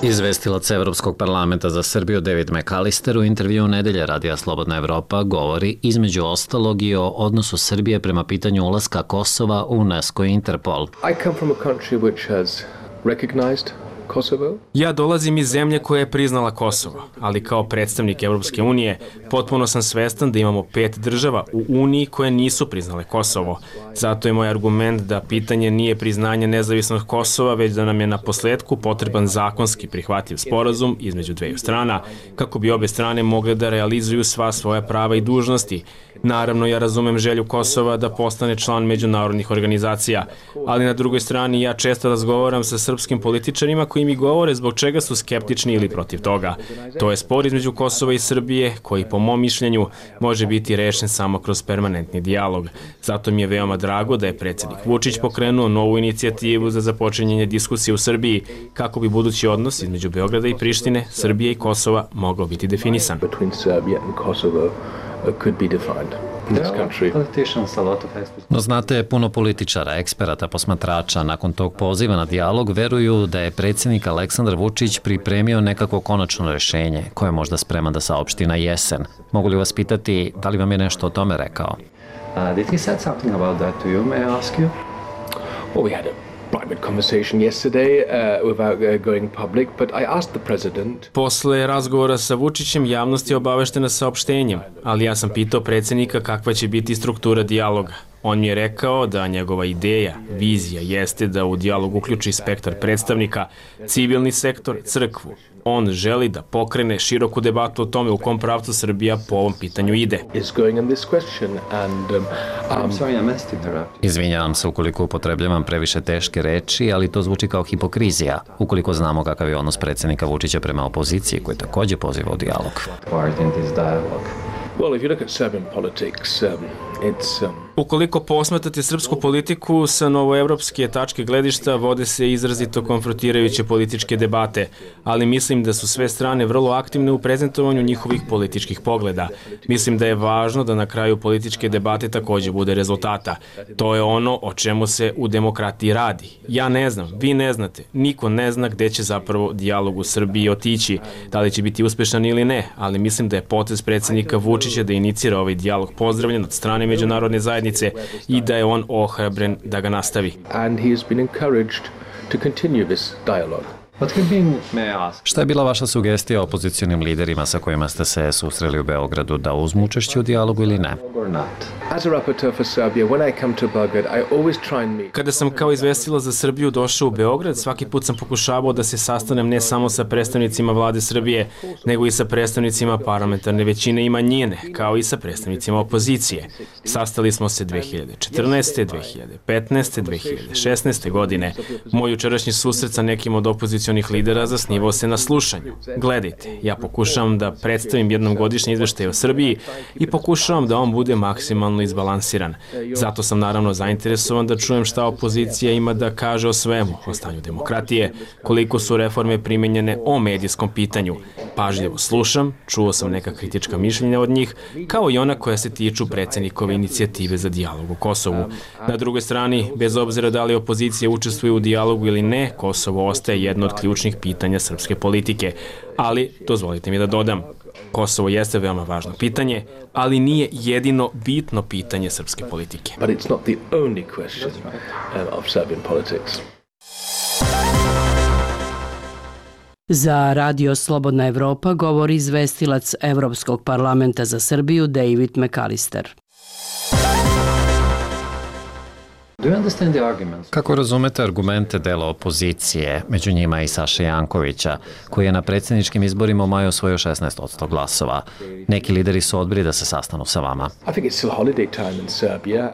Izvestilac Evropskog parlamenta za Srbiju David McAllister u intervju Nedelje Radija Slobodna Evropa govori između ostalog i o odnosu Srbije prema pitanju ulaska Kosova u UNESCO i Interpol. I come from a country which has recognized Kosovo. Ja dolazim iz zemlje koja je priznala Kosovo, ali kao predstavnik Evropske unije potpuno sam svestan da imamo 5 država u Uniji koje nisu priznale Kosovo. Zato je moj argument da pitanje nije priznanje nezavisnog Kosova, već da nam je na posledku potreban zakonski prihvatljiv sporazum između dveju strana, kako bi obe strane mogle da realizuju sva svoja prava i dužnosti. Naravno, ja razumem želju Kosova da postane član međunarodnih organizacija, ali na drugoj strani ja često razgovaram sa srpskim političarima koji mi govore zbog čega su skeptični ili protiv toga. To je spor između Kosova i Srbije koji, po mom mišljenju, može biti rešen samo kroz permanentni dijalog. Zato mi je veoma drago da je predsjednik Vučić pokrenuo novu inicijativu za započinjanje diskusije u Srbiji kako bi budući odnos između Beograda i Prištine, Srbije i Kosova mogao biti definisan. No znate, puno političara, eksperata, posmatrača nakon tog poziva na dijalog veruju da je predsjednik Aleksandar Vučić pripremio nekako konačno rješenje koje je možda spreman da saopšti na jesen. Mogu li vas pitati da li vam je nešto o tome rekao? Did he said something about that to you, may I ask you? Well, we had a private conversation yesterday without going public, but I asked the president. Posle razgovora sa Vučićem javnost je obaveštena saopštenjem, ali ja sam pitao predsjednika kakva će biti struktura dijaloga. On mi je rekao da njegova ideja, vizija jeste da u dijalog uključi spektar predstavnika, civilni sektor, crkvu. On želi da pokrene široku debatu o tome u kom pravcu Srbija po ovom pitanju ide. Izvinjavam se ukoliko upotrebljavam previše teške reči, ali to zvuči kao hipokrizija, ukoliko znamo kakav je odnos predsjednika Vučića prema opoziciji, koji takođe poziva u dijalog. Well, if you look at Serbian politics, Ukoliko posmatrate srpsku politiku sa novoevropske tačke gledišta, vode se izrazito konfrontirajuće političke debate, ali mislim da su sve strane vrlo aktivne u prezentovanju njihovih političkih pogleda. Mislim da je važno da na kraju političke debate takođe bude rezultata. To je ono o čemu se u demokratiji radi. Ja ne znam, vi ne znate, niko ne zna gde će zapravo dijalog u Srbiji otići, da li će biti uspešan ili ne, ali mislim da je potez predsjednika Vučića da inicira ovaj dijalog pozdravljen od strane međunarodne zajednice i da je on ohrabren da ga nastavi. And he has been encouraged to continue this dialogue. Šta je bila vaša sugestija opozicionim liderima sa kojima ste se susreli u Beogradu, da uzmu učešće u dijalogu ili ne? Kada sam kao izvestilac za Srbiju došao u Beograd, svaki put sam pokušavao da se sastanem ne samo sa predstavnicima vlade Srbije, nego i sa predstavnicima parlamentarne većine i manjine, kao i sa predstavnicima opozicije. Sastali smo se 2014., 2015., 2016. godine. Moj jučerašnji susret sa nekim od opozicionih lidera zasnivao se na slušanju. Gledajte, ja pokušavam da predstavim jednom godišnji izveštaj o Srbiji i pokušavam da on bude maksimalno izbalansiran. Zato sam naravno zainteresovan da čujem šta opozicija ima da kaže o svemu, o stanju demokratije, koliko su reforme primenjene, o medijskom pitanju. Pažljivo slušam, čuo sam neka kritička mišljenja od njih, kao i ona koja se tiču predsjednikove inicijative za dijalog o Kosovu. Na drugoj strani, bez obzira da li opozicija učestvuje u dijalogu ili ne, Kosovo ostaje jedno od ključnih pitanja srpske politike. Ali, dozvolite mi da dodam, Kosovo jeste veoma važno pitanje, ali nije jedino bitno pitanje srpske politike. But it's not the only question of Serbian politics. Za Radio Slobodna Evropa govori izvestilac Evropskog parlamenta za Srbiju David McAllister. Kako razumete argumente dela opozicije, među njima i Saše Jankovića, koji je na predsjedničkim izborima u maju osvojio 16% glasova? Neki lideri su odbili da se sastanu sa vama.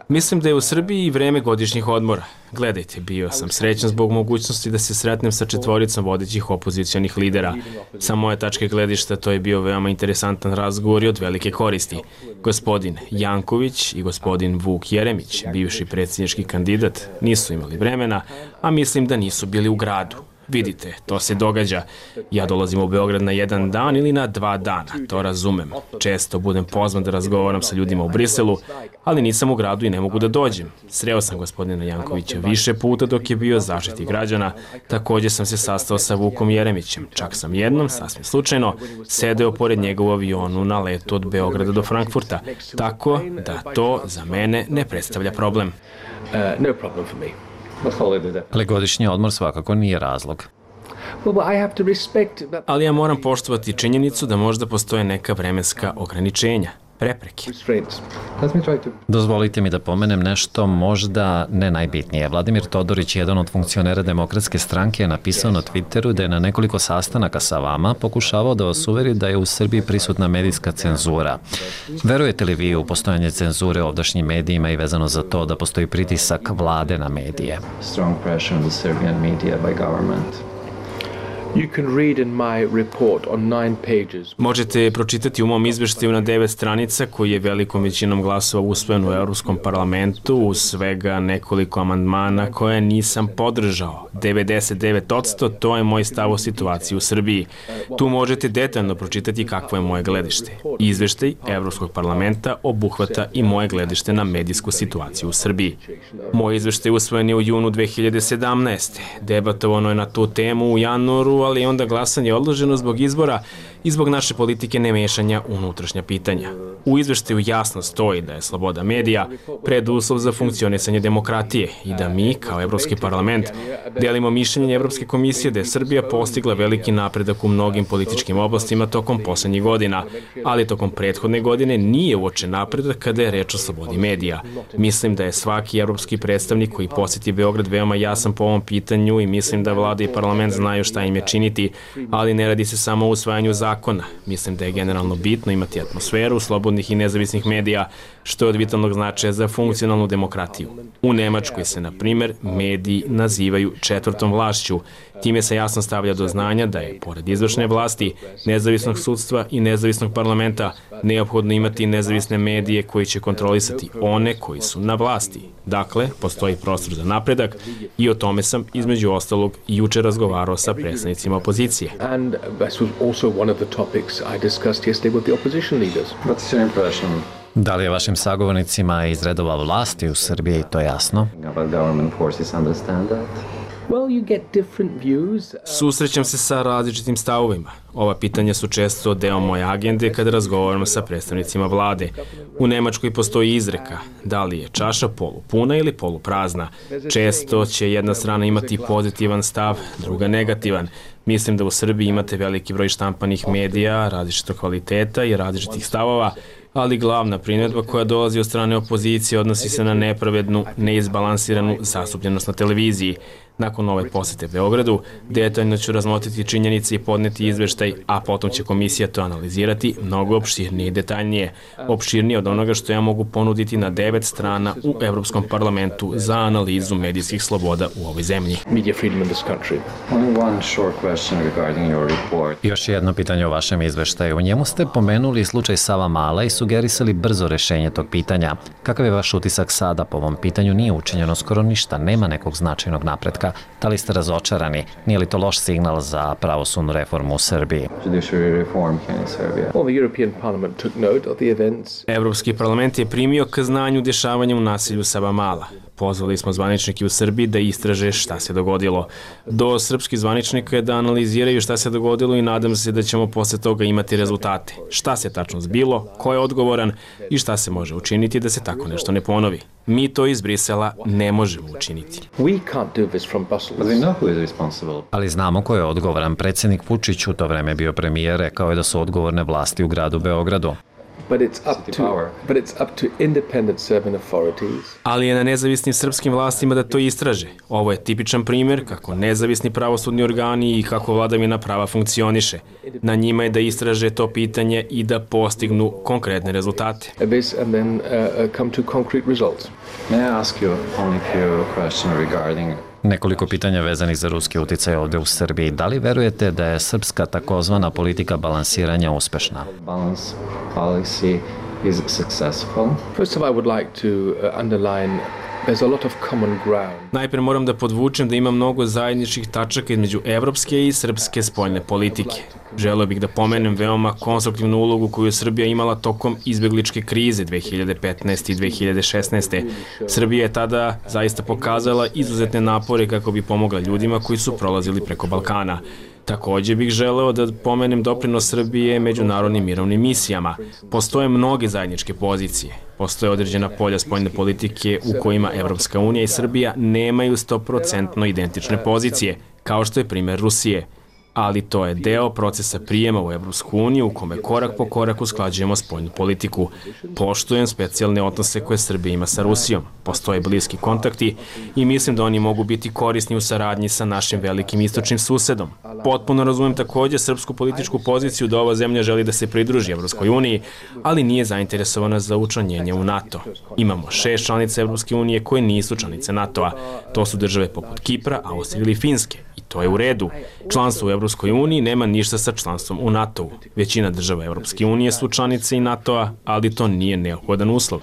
Mislim da je u Srbiji vreme godišnjih odmora. Gledajte, bio sam srećan zbog mogućnosti da se sretnem sa četvoricom vodećih opozicionih lidera. Sa moje tačke gledišta to je bio veoma interesantan razgovor i od velike koristi. Gospodin Janković i gospodin Vuk Jeremić, bivši predsjednički kandidat, nisu imali vremena, a mislim da nisu bili u gradu. Vidite, to se događa. Ja dolazim u Beograd na 1 dan ili na 2 dana, to razumem. Često budem pozvan da razgovaram sa ljudima u Briselu, ali nisam u gradu i ne mogu da dođem. Sreo sam gospodina Jankovića više puta dok je bio Zaštitnik građana. Također sam se sastao sa Vukom Jeremićem. Čak sam jednom, sasvim slučajno, sedeo pored njega u avionu na letu od Beograda do Frankfurta. Tako da to za mene ne predstavlja problem. No problem for me. Ali godišnji odmor svakako nije razlog. Ali ja moram poštovati činjenicu da možda postoje neka vremenska ograničenja, prepreke. Dozvolite mi da pomenem nešto možda ne najbitnije. Vladimir Todorić, jedan od funkcionera Demokratske stranke, je napisao na Twitteru da je na nekoliko sastanaka sa vama pokušavao da vas uveri da je u Srbiji prisutna medijska cenzura. Verujete li vi u postojanje cenzure u ovdašnjim medijima i vezano za to da postoji pritisak vlade na medije? Strong pressure on the Serbian media by government. You can read in my report on 9 pages. Možete pročitati u mom izveštaju na 9 stranica koji je velikom većinom glasova usvojen u Europskom parlamentu uz svega nekoliko amandmana koje nisam podržao. 99% to je moj stav o situaciji u Srbiji. Tu možete detaljno pročitati kakvo je moje gledište. Izveštaj Evropskog parlamenta obuhvata i moje gledište na medijsku situaciju u Srbiji. Moj izveštaj usvojen je u junu 2017. Debatovano je na tu temu u januaru, ali onda glasanje odloženo zbog izbora i zbog naše politike nemešanja u unutrašnja pitanja. U izveštaju jasno stoji da je sloboda medija preduslov za funkcionisanje demokratije i da mi, kao Evropski parlament, delimo mišljenje Evropske komisije da je Srbija postigla veliki napredak u mnogim političkim oblastima tokom poslednjih godina, ali tokom prethodne godine nije uočen napredak kada je reč o slobodi medija. Mislim da je svaki evropski predstavnik koji posjeti Beograd veoma jasan po ovom pitanju i mislim da vlada i parlament znaju šta im je činiti, ali ne radi se samo o usvajanju zakona. Mislim da je generalno bitno imati atmosferu slobodnih i nezavisnih medija, što je od vitalnog značaja za funkcionalnu demokratiju. U Nemačkoj se, na primer, mediji nazivaju četvrtom vlašću. Time se jasno stavlja do znanja da je, pored izvršne vlasti, nezavisnog sudstva i nezavisnog parlamenta, neophodno imati nezavisne medije koji će kontrolisati one koji su na vlasti. Dakle, postoji prostor za napredak i o tome sam, između ostalog, juče razgovarao sa predstavnicima opozicije. And this was also one of the topics I discussed yesterday with the opposition leaders. What's your impression? Da li je vašim sagovornicima iz redova vlasti u Srbiji to jasno? Susrećem se sa različitim stavovima. Ova pitanja su često deo moje agende kada razgovaram sa predstavnicima vlade. U Nemačkoj postoji izreka, da li je čaša polupuna ili poluprazna. Često će jedna strana imati pozitivan stav, druga negativan. Mislim da u Srbiji imate veliki broj štampanih medija, različitog kvaliteta i različitih stavova, ali glavna primjedba koja dolazi od strane opozicije odnosi se na nepravednu, neizbalansiranu zastupljenost na televiziji. Nakon ove posete Beogradu, detaljno ću razmotriti činjenice i podneti izveštaj, a potom će komisija to analizirati mnogo opširnije i detaljnije. Opširnije od onoga što ja mogu ponuditi na 9 strana u Evropskom parlamentu za analizu medijskih sloboda u ovoj zemlji. Još jedno pitanje o vašem izveštaju. U njemu ste pomenuli slučaj Savamala i sugerisali brzo rešenje tog pitanja. Kakav je vaš utisak sada po ovom pitanju? Nije učinjeno skoro ništa, nema nekog značajnog napretka. Da li ste razočarani? Nije li to loš signal za pravosudnu reformu u Srbiji? Evropski parlament je primio k znanju dešavanja u nasilju Savamala. Pozvali smo zvaničnike u Srbiji da istraže šta se dogodilo. Do srpskih zvaničnika je da analiziraju šta se dogodilo i nadam se da ćemo posle toga imati rezultate. Šta se tačno zbilo, ko je odgovoran i šta se može učiniti da se tako nešto ne ponovi. Mi to iz Brisela ne možemo učiniti. Ali znamo ko je odgovoran. Predsjednik Vučić u to vreme bio premijer, rekao je da su odgovorne vlasti u gradu Beogradu. Ali je na nezavisnim srpskim vlastima da to istraže. Ovo je tipičan primjer kako nezavisni pravosudni organi i kako vladavina prava funkcioniše. Na njima je da istraže to pitanje i da postignu konkretne rezultate. Nekoliko pitanja vezanih za ruski uticaj ovde u Srbiji. Da li verujete da je srpska takozvana politika balansiranja uspešna? First of all, I would like to underline there's a lot of common ground. Najpre moram da podvučem da ima mnogo zajedničkih tačaka između evropske i srpske spoljne politike. Želeo bih da pomenem veoma konstruktivnu ulogu koju je Srbija imala tokom izbegličke krize 2015. i 2016. Srbija je tada zaista pokazala izuzetne napore kako bi pomogla ljudima koji su prolazili preko Balkana. Takođe bih želeo da pomenem doprinos Srbije međunarodnim mirovnim misijama. Postoje mnoge zajedničke pozicije. Postoje određena polja spoljne politike u kojima Evropska unija i Srbija nemaju 100% identične pozicije, kao što je primjer Rusije. Ali to je deo procesa prijema u Evropsku uniju u kome korak po korak usklađujemo spoljnu politiku. Poštujem specijalne odnose koje Srbija ima sa Rusijom. Postoje bliski kontakti i mislim da oni mogu biti korisni u saradnji sa našim velikim istočnim susedom. Potpuno razumem takođe srpsku političku poziciju da ova zemlja želi da se pridruži Evropskoj uniji, ali nije zainteresovana za učlanjenje u NATO. Imamo 6 članica Evropske unije koje nisu članice NATO-a. To su države poput Kipra, Austrije ili Finske. I to je u redu. Članstvo u Evropskoj uniji nema ništa sa članstvom u NATO-u. Većina država Evropske unije su članice i NATO-a, ali to nije neophodan uslov.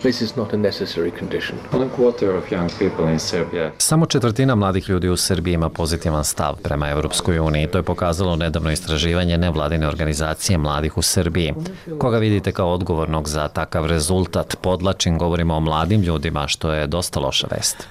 Samo 1/4 mladih ljudi u Srbiji ima pozitivan stav prema Evropskoj uniji. To je pokazalo nedavno istraživanje nevladine organizacije mladih u Srbiji. Koga vidite kao odgovornog za takav rezultat? Podlačim, govorimo o mladim ljudima, što je dosta loša vest.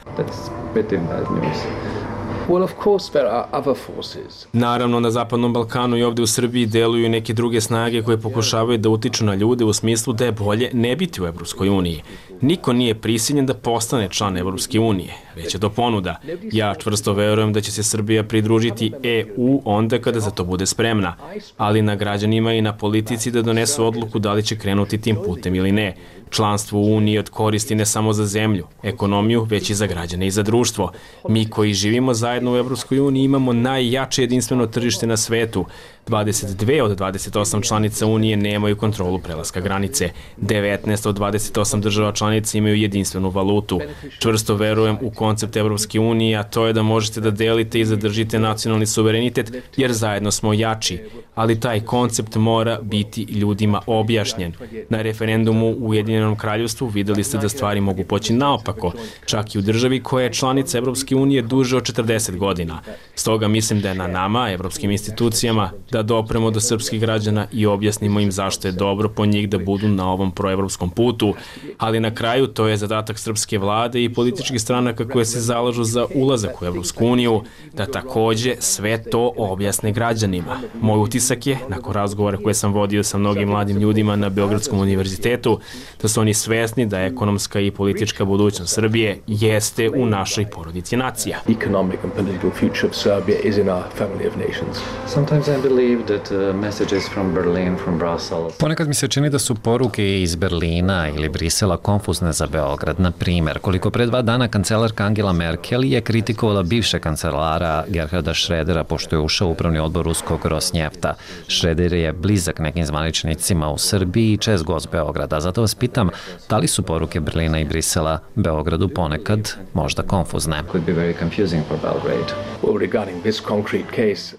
Naravno, na Zapadnom Balkanu i ovde u Srbiji deluju neke druge snage koje pokušavaju da utiču na ljude u smislu da je bolje ne biti u Evropskoj uniji. Niko nije prisiljen da postane član Evropske unije, već je to ponuda. Ja čvrsto verujem da će se Srbija pridružiti EU onda kada za to bude spremna, ali na građanima i na politici da donesu odluku da li će krenuti tim putem ili ne. Članstvo u Uniji od koristi ne samo za zemlju, ekonomiju, već i za građane i za društvo. Mi koji živimo zajedno u Evropskoj uniji imamo najjače jedinstveno tržište na svetu. 22 od 28 članica Unije nemaju kontrolu prelaska granice. 19 od 28 država članica imaju jedinstvenu valutu. Čvrsto verujem u koncept Evropske unije, a to je da možete da delite i zadržite nacionalni suverenitet, jer zajedno smo jači. Ali taj koncept mora biti ljudima objašnjen. Na referendumu u Ujedinjenom kraljevstvu videli ste da stvari mogu poći naopako, čak i u državi koja je članica Evropske unije duže od 40 godina. Stoga mislim da je na nama, evropskim institucijama, da dopremo do srpskih građana i objasnimo im zašto je dobro po njih da budu na ovom proevropskom putu, ali na kraju to je zadatak srpske vlade i političkih stranaka koje se zalažu za ulazak u Evropsku uniju, da takođe sve to objasne građanima. Moj utisak je, nakon razgovora koje sam vodio sa mnogim mladim ljudima na Beogradskom univerzitetu, da su oni svesni da ekonomska i politička budućnost Srbije jeste u našoj porodici nacija. Economic and political future of Serbia is in our family of nations. Sometimes I believe that messages from Berlin, from Brussels. Ponekad mi se čini da su poruke iz Berlina ili Brisela konfuzne za Beograd. Na primjer, koliko pre 2 dana kancelarka Angela Merkel je kritikovala bivšeg kancelara Gerharda Schrödera pošto je ušao u upravni odbor ruskog Rosnjefta. Schröder je blizak nekim zvaničnicima u Srbiji i čest gost Beograda. Zato vas pitam, da li su poruke Berlina i Brisela Beogradu ponekad možda konfuzne?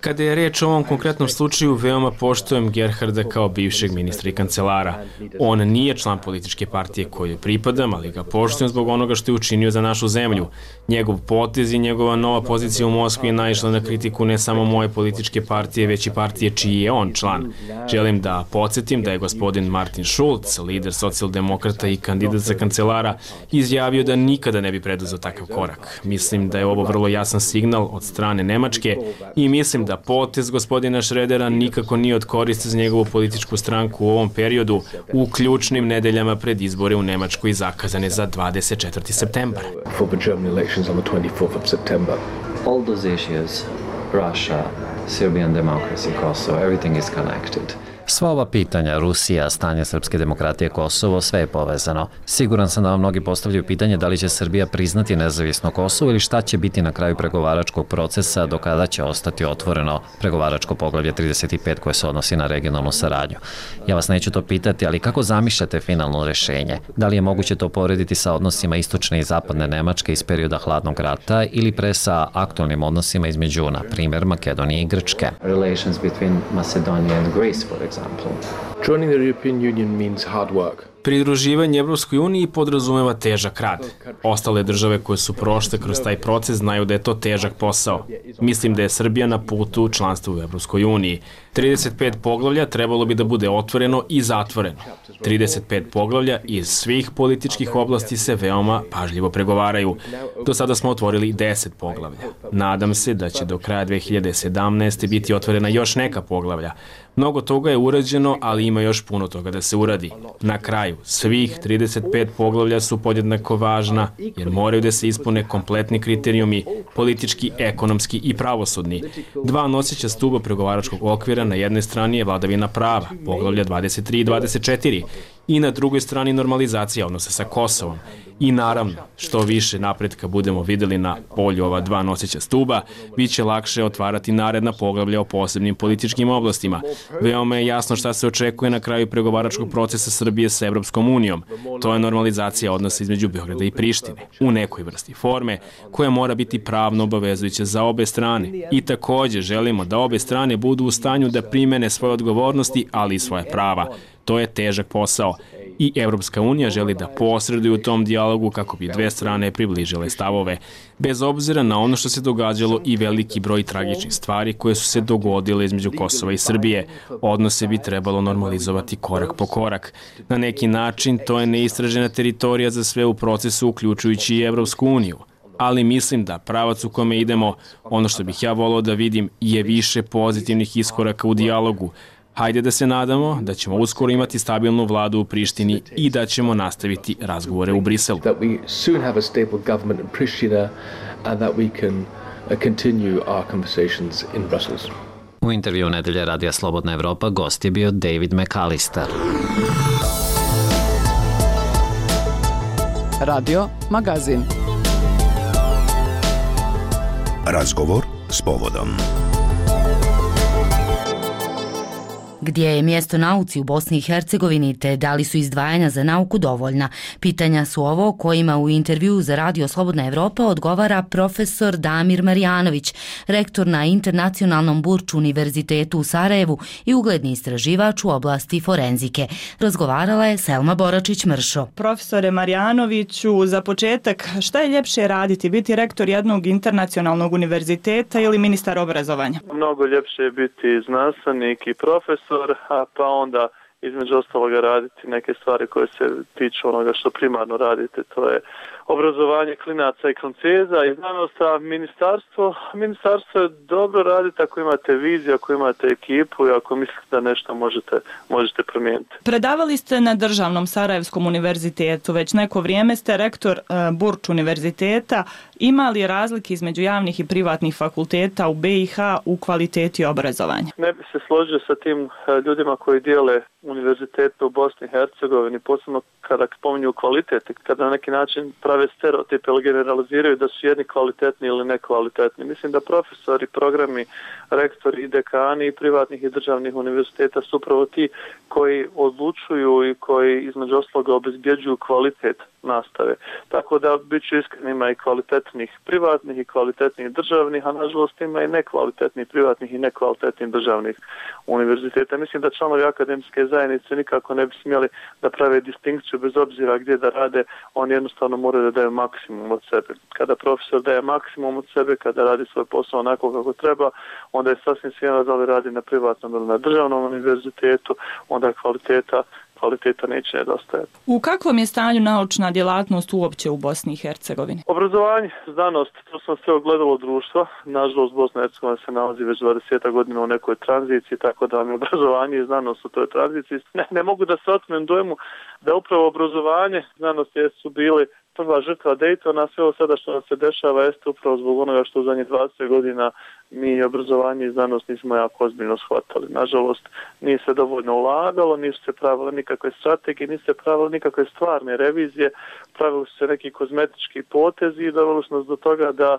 Kada je reč o ovom konkretnom slučaju, veoma poštujem Gerharda kao bivšeg ministra i kancelara. On nije član političke partije kojoj pripadam, ali ga poštujem zbog onoga što je učinio za našu zemlju. Njegov potez i njegova nova pozicija u Moskvi je naišla na kritiku ne samo moje političke partije, već i partije čiji je on član. Želim da podsjetim da je gospodin Martin Schulz, lider socijaldemokrata i kandidat za kancelara, izjavio da nikada ne bi preduzeo takav korak. Mislim da je ovo vrlo jasan signal od strane Nemačke i mislim da potez gospodina Schrödera nikako nije od koristi za njegovu političku stranku u ovom periodu u ključnim nedeljama pred izbore u Nemačkoj zakazane za 24. septembar. All those issues, Russia, Serbian democracy, Kosovo, everything is connected. Sva ova pitanja, Rusija, stanje srpske demokratije, Kosovo, sve je povezano. Siguran sam da vam mnogi postavljaju pitanje da li će Srbija priznati nezavisno Kosovo ili šta će biti na kraju pregovaračkog procesa do kada će ostati otvoreno pregovaračko poglavlje 35 koje se odnosi na regionalnu saradnju. Ja vas neću to pitati, ali kako zamišljate finalno rešenje? Da li je moguće to porediti sa odnosima istočne i zapadne Nemačke iz perioda hladnog rata ili pre sa aktualnim odnosima između, na primjer, Makedonije i Grčke? Relations between Macedonia and Greece, for example. Joining the European Union means hard work. Pridruživanje Evropskoj uniji podrazumeva težak rad. Ostale države koje su prošle kroz taj proces znaju da je to težak posao. Mislim da je Srbija na putu članstva u Evropskoj uniji. 35 poglavlja trebalo bi da bude otvoreno i zatvoreno. 35 poglavlja iz svih političkih oblasti se veoma pažljivo pregovaraju. Do sada smo otvorili 10 poglavlja. Nadam se da će do kraja 2017. biti otvorena još neka poglavlja. Mnogo toga je urađeno, ali ima još puno toga da se uradi. Na kraju, svih 35 poglavlja su podjednako važna, jer moraju da se ispune kompletni kriterijumi, politički, ekonomski i pravosudni. 2 noseća stuba pregovaračkog okvira na jednoj strani je vladavina prava, poglavlja 23 i 24, i na drugoj strani normalizacija odnosa sa Kosovom. I naravno, što više napretka budemo videli na polju ova 2 noseća stuba, bit će lakše otvarati naredna poglavlja o posebnim političkim oblastima. Veoma je jasno šta se očekuje na kraju pregovaračkog procesa Srbije sa Evropskom unijom. To je normalizacija odnosa između Beograda i Prištine, u nekoj vrsti forme, koja mora biti pravno obavezujuća za obe strane. I takođe želimo da obe strane budu u stanju da primene svoje odgovornosti, ali i svoje prava. To je težak posao i Evropska unija želi da posreduje u tom dijalogu kako bi dve strane približile stavove. Bez obzira na ono što se događalo i veliki broj tragičnih stvari koje su se dogodile između Kosova i Srbije, odnose bi trebalo normalizovati korak po korak. Na neki način to je neistražena teritorija za sve u procesu, uključujući i Evropsku uniju. Ali mislim da pravac u kome idemo, ono što bih ja volao da vidim, je više pozitivnih iskoraka u dijalogu. Hajde da se nadamo da ćemo uskoro imati stabilnu vladu u Prištini i da ćemo nastaviti razgovore u Briselu. U intervju Nedelje Radija Slobodna Evropa gost je bio David McAllister. Radio Magazin. Razgovor s povodom. Gdje je mjesto nauci u Bosni i Hercegovini te da li su izdvajanja za nauku dovoljna? Pitanja su ovo kojima u intervju za Radio Slobodna Evropa odgovara profesor Damir Marjanović, rektor na Internacionalnom Burču univerzitetu u Sarajevu i ugledni istraživač u oblasti forenzike. Razgovarala je Selma Boračić-Mršo. Profesore Marjanoviću, za početak, šta je ljepše raditi? Biti rektor jednog internacionalnog univerziteta ili ministar obrazovanja? Mnogo ljepše je biti znanstvenik i profesor, a pa onda između ostaloga raditi neke stvari koje se tiču onoga što primarno radite, to je obrazovanje klinaca i klanceza i znanost, a ministarstvo je dobro raditi ako imate viziju, ako imate ekipu i ako mislite da nešto možete promijeniti. Predavali ste na Državnom Sarajevskom univerzitetu, već neko vrijeme ste rektor Burč univerziteta. Ima li razlike između javnih i privatnih fakulteta u BiH u kvaliteti obrazovanja? Ne bi se složio sa tim ljudima koji dijele univerzitete u Bosni i Hercegovini, posebno kada spominju kvalitet, kada na neki način prave stereotipe ili generaliziraju da su jedni kvalitetni ili nekvalitetni. Mislim da profesori, programi, rektori i dekani i privatnih i državnih univerziteta su upravo ti koji odlučuju i koji između ostaloga obezbjeđuju kvalitet nastave. Tako da bit ću iskren, ima i kvalitetnih privatnih i kvalitetnih državnih, a nažalost ima i nekvalitetnih privatnih i nekvalitetnih državnih univerziteta. Mislim da članovi akademske zajednice nikako ne bi smjeli da prave distinkciju bez obzira gdje da rade, oni jednostavno moraju da daju maksimum od sebe. Kada profesor daje maksimum od sebe, kada radi svoj posao onako kako treba, onda je sasvim svejedno da li radi na privatnom ili na državnom univerzitetu, onda kvaliteta neće nedostajati. U kakvom je stanju naučna djelatnost uopće u Bosni i Hercegovini? Obrazovanje, znanost, to smo sve ogledalo društva. Nažalost, Bosna i Hercegovina se nalazi već 20 godina u nekoj tranziciji, tako da vam je obrazovanje i znanost u toj tranziciji. Ne mogu da se otmem dojmu da upravo obrazovanje, znanost su bili prva žrtva Daytona, sve ovo sada što nam se dešava jeste upravo zbog onoga što u zadnjih 20 godina mi obrazovanje i znanost nismo jako ozbiljno shvatali. Nažalost, nije se dovoljno ulagalo, nisu se pravile nikakve strategije, nisu se pravile nikakve stvarne revizije, pravili su se neki kozmetički potezi i doveli su nas do toga da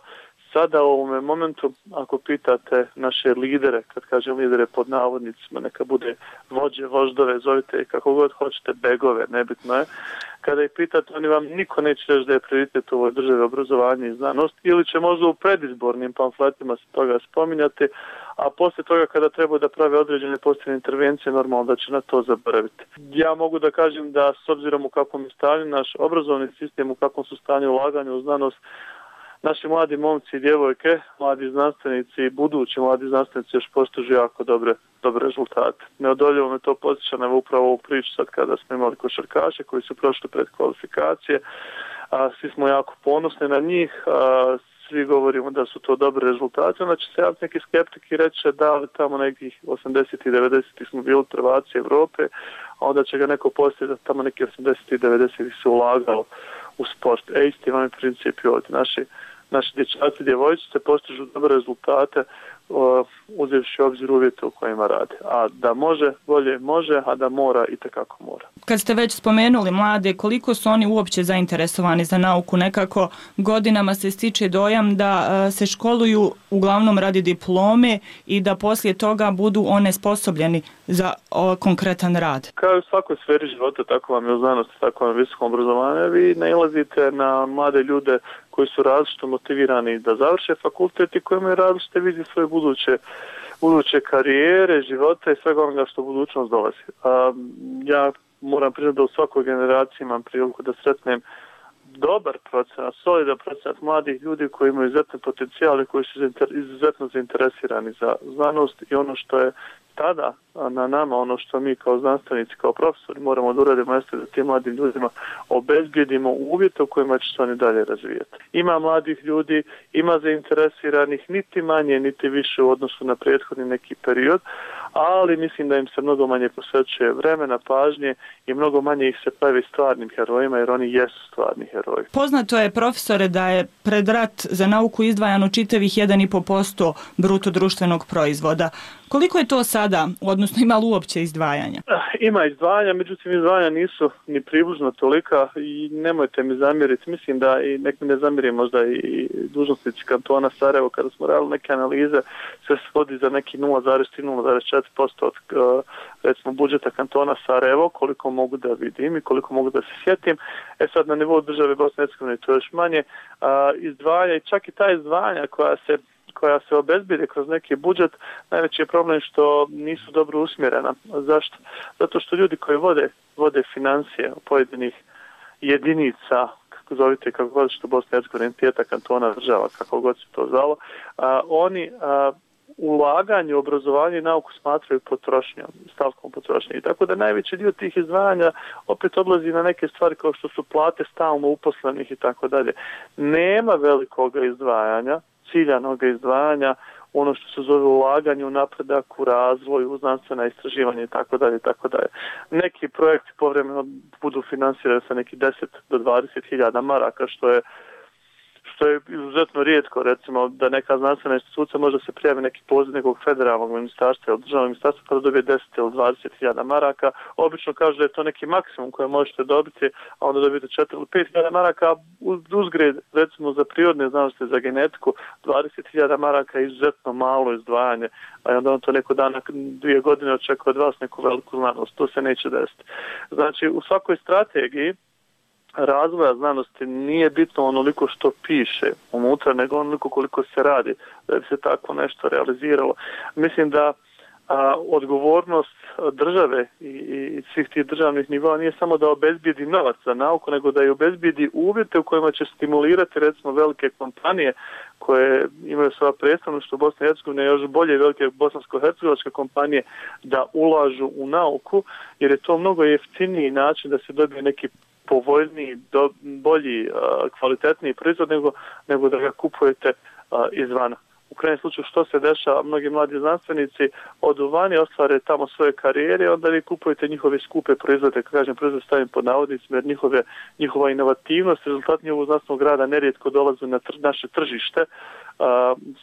sada u ovome momentu, ako pitate naše lidere, kad kažem lidere pod navodnicima, neka bude vođe, voždove, zovite kako god hoćete, begove, nebitno je. Kada ih pitate, oni vam niko neće reći da je prioritet u ovoj državi obrazovanje i znanost, ili će možda u predizbornim pamfletima se toga spominjati, a poslije toga kada treba da prave određene posljedne intervencije, normalno da će na to zaboraviti. Ja mogu da kažem da s obzirom u kakvom je stanju naš obrazovni sistem, u kakvom su stanju ulaganja u znanost, naši mladi momci i djevojke, mladi znanstvenici i budući mladi znanstvenici još postižu jako dobre rezultate. Neodoljivo me to podsjeća na upravo ovu priču sad kada smo imali košarkaše koji su prošli pred kvalifikacije. Svi smo jako ponosni na njih, svi govorimo da su to dobre rezultate, onda će se javiti neki skeptik i reći da li tamo nekih 80. i 90. smo bili prvaci Evrope, a onda će ga neko postaviti da tamo neki 80. i 90. se ulagalo u sport. Isti vam je princip i ovdje. Naši dječaci i djevojčice postižu dobre rezultate uzevši obzir uvjete u kojima rade. A da može, bolje može, a da mora i tekako mora. Kad ste već spomenuli mlade, koliko su oni uopće zainteresovani za nauku? Nekako godinama se stiče dojam da se školuju uglavnom radi diplome i da poslije toga budu onesposobljeni za konkretan rad. Kao u svakoj sferi života, tako vam je u znanosti, tako vam je u visokom obrazovanju, vi nailazite na mlade ljude koji su različito motivirani da završe fakultet i koji imaju različite vizije svoje buduće karijere, života i svega onoga što budućnost dolazi. Ja moram priznati da u svakoj generaciji imam priliku da sretnem dobar procenat, solidan procenat mladih ljudi koji imaju izuzetne potencijale, koji su izuzetno zainteresirani za znanost i ono što je tada na nama, ono što mi kao znanstvenici, kao profesori moramo da uradimo jeste da tim mladim ljudima obezbijedimo uvjete u kojima će se oni dalje razvijati. Ima mladih ljudi, ima zainteresiranih niti manje, niti više u odnosu na prethodni neki period, ali mislim da im se mnogo manje posvećuje vremena, pažnje i mnogo manje ih se pravi stvarnim herojima jer oni jesu stvarni heroji. Poznato je, profesore, da je pred rat za nauku izdvajano čitavih 1,5% bruto društvenog proizvoda. Koliko je to sada, odnosno ima li uopće izdvajanja? Ima izdvajanja, međutim izdvajanja nisu ni približno tolika i nemojte mi zamjeriti. Mislim da i nek mi ne zamjeri možda i dužnosnici kantona Sarajevo kada smo radili neke analize, sve se svodi za neki 0,3-0,4% od recimo budžeta kantona Sarajevo, koliko mogu da vidim i koliko mogu da se sjetim. Sad na nivou države Bosne i Hercegovine to još manje izdvajanja i čak i ta izdvajanja koja se obezbijede kroz neki budžet, najveći je problem što nisu dobro usmjerena. Zašto? Zato što ljudi koji vode financije pojedinih jedinica, kako zovite, kako god što Bosna i Hercegovina, entiteta, kantona, država, kako god se to zvalo, oni ulaganje u obrazovanje i nauku smatraju potrošnjom, stavkom potrošnje. I tako da najveći dio tih izdvajanja opet odlazi na neke stvari kao što su plate stalno uposlenih i tako dalje. Nema velikog izdvajanja, ciljanog izdvajanja, ono što se zove ulaganje u napredak, u razvoj, u znanstvena istraživanja i tako dalje, tako dalje. Neki projekti povremeno budu finansirani sa neki 10 do 20.000 maraka, što je izuzetno rijetko, recimo da neka znanstvena institucija može se prijavi neki poziv nekog federalnog ministarstva ili državnog ministarstva kada dobije 10 ili 20.000 maraka. Obično kaže da je to neki maksimum koje možete dobiti, a onda dobijete 4 ili 5.000 maraka, uzgred recimo za prirodne znanosti, za genetiku, 20.000 maraka je izuzetno malo izdvajanje, a onda on to neko dana 2 godine očekuje od vas neku veliku znanost. To se neće desiti. Znači, u svakoj strategiji razvoja znanosti nije bitno onoliko što piše unutra, nego onoliko koliko se radi da bi se tako nešto realiziralo. Mislim da odgovornost države i svih tih državnih nivoa nije samo da obezbijedi novac za nauku, nego da je obezbijedi uvjete u kojima će stimulirati recimo velike kompanije koje imaju svoja predstavništva u Bosni i Hercegovini, još bolje velike bosansko-hercegovačke kompanije da ulažu u nauku, jer je to mnogo jeftiniji način da se dobije neki povoljniji, bolji, kvalitetniji proizvod nego da ga kupujete izvana. U krajnjem slučaju što se dešava, mnogi mladi znanstvenici odu vani, ostvare tamo svoje karijere, onda vi kupujete njihove skupe proizvode, kažem proizvode stavim pod navodnicima, jer njihova inovativnost, rezultat njihovog znanstvenog rada nerijetko dolaze na naše tržište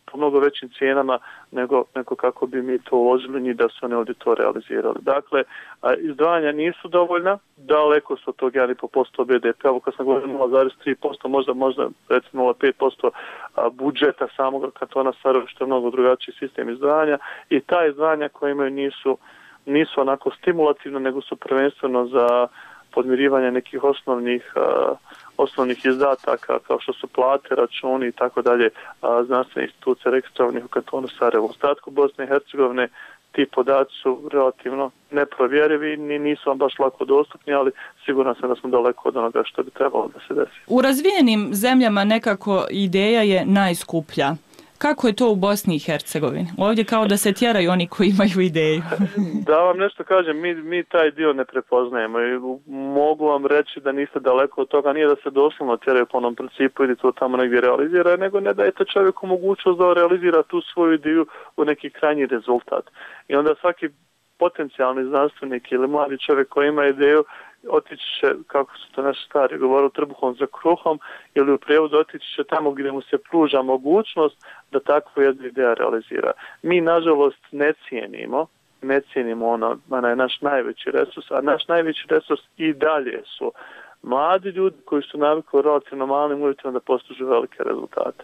po mnogo većim cijenama nego kako bi mi to uložili njih da su oni ovdje to realizirali. Dakle, izdvajanja nisu dovoljna, daleko su od tog 1,5% BDP, evo kad sam govorio 0,3%, možda recimo 0,5% budžeta samog kantona Sarajevo, što je mnogo drugačiji sistem izdvajanja, i ta izdvajanja koje imaju nisu onako stimulativno, nego su prvenstveno za podmirivanje nekih osnovnih izdataka kao što su plate, računi i tako dalje znanstvene institucije registrovanih u kantonu Sarajevo. U ostatku Bosne i Hercegovine ti podaci su relativno neprovjerivi, nisu vam baš lako dostupni, ali siguran sam da smo daleko od onoga što bi trebalo da se desi. U razvijenim zemljama nekako ideja je najskuplja. Kako je to u Bosni i Hercegovini? Ovdje kao da se tjeraju oni koji imaju ideju. Da vam nešto kažem, mi taj dio ne prepoznajemo i mogu vam reći da niste daleko od toga, nije da se doslovno tjeraju po onom principu ili to tamo negdje realizira, nego ne dajete čovjeku mogućnost da realizira tu svoju ideju u neki krajnji rezultat. I onda svaki potencijalni znanstvenik ili mladi čovjek koji ima ideju otići će, kako su to naši stari govorili, trbuhom za kruhom, ili u prijevodu otići će tamo gdje mu se pruža mogućnost da takvu jednu ideju realizira. Mi, nažalost, ne cijenimo ono je naš najveći resurs, a naš najveći resurs i dalje su mladi ljudi koji su navikli relativno malim uvjetima da postižu velike rezultate.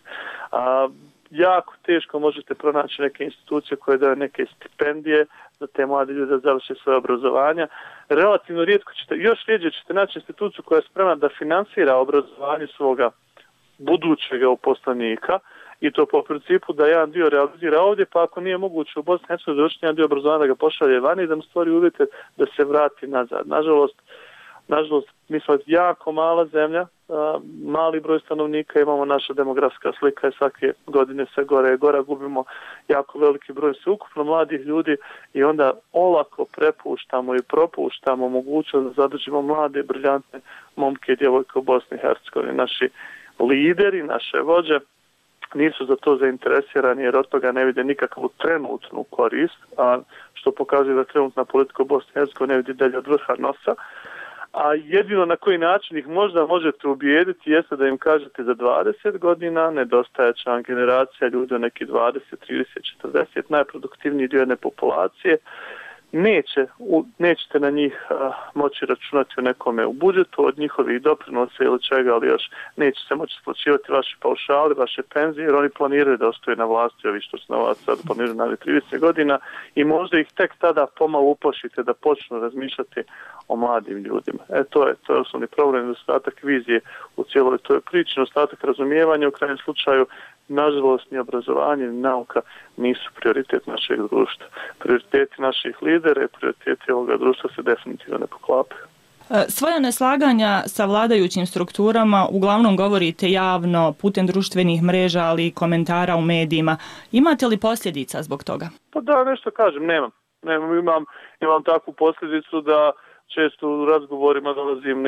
Jako teško možete pronaći neke institucije koje daju neke stipendije za te mlade ljude da završe svoje obrazovanja. Relativno rijetko još rijeđe ćete naći instituciju koja je spremna da finansira obrazovanje svoga budućeg uposlenika, i to po principu da jedan dio realizira ovdje, pa ako nije moguće u Bosni i Hercegovini završiti jedan dio obrazovanja da ga pošalje vani i da mu stvori uvjete da se vrati nazad. Nažalost, mi smo jako mala zemlja, mali broj stanovnika, imamo naša demografska slika i svake godine se gore i gore, gubimo jako veliki broj sveukupno mladih ljudi i onda olako prepuštamo i propuštamo mogućnost da zadržimo mlade, briljantne momke i djevojke u Bosni i Hercegovini. Naši lideri, naše vođe nisu za to zainteresirani jer od toga ne vide nikakvu trenutnu korist, a što pokazuje da trenutna politika u Bosni i Hercegovini ne vidi dalje od vrha nosa. A jedino na koji način ih možda možete ubijediti jeste da im kažete za 20 godina nedostajeća vam generacija ljudi od neki 20, 30, 40, najproduktivniji dio jedne populacije. Nećete na njih moći računati u nekome u budžetu od njihovih doprinosa ili čega, ali još neće se moći isplaćivati vaši paušali, vaše penzije, jer oni planiraju da ostaju na vlasti, ovi što su na vlasti sad planiraju na 30 godina i možda ih tek tada pomalo uplašite da počnu razmišljati o mladim ljudima. To je osnovni problem, nedostatak vizije u cijeloj toj priči, nedostatak razumijevanja, u krajnjem slučaju nažalost ni obrazovanje ni nauka nisu prioritet našeg društva. Prioriteti naših lidera i prioriteti ovoga društva se definitivno ne poklapaju. Svoja neslaganja sa vladajućim strukturama uglavnom govorite javno, putem društvenih mreža, ali i komentara u medijima. Imate li posljedica zbog toga? Pa da, nešto kažem, nemam. Imam takvu posljedicu da često u razgovorima dolazim,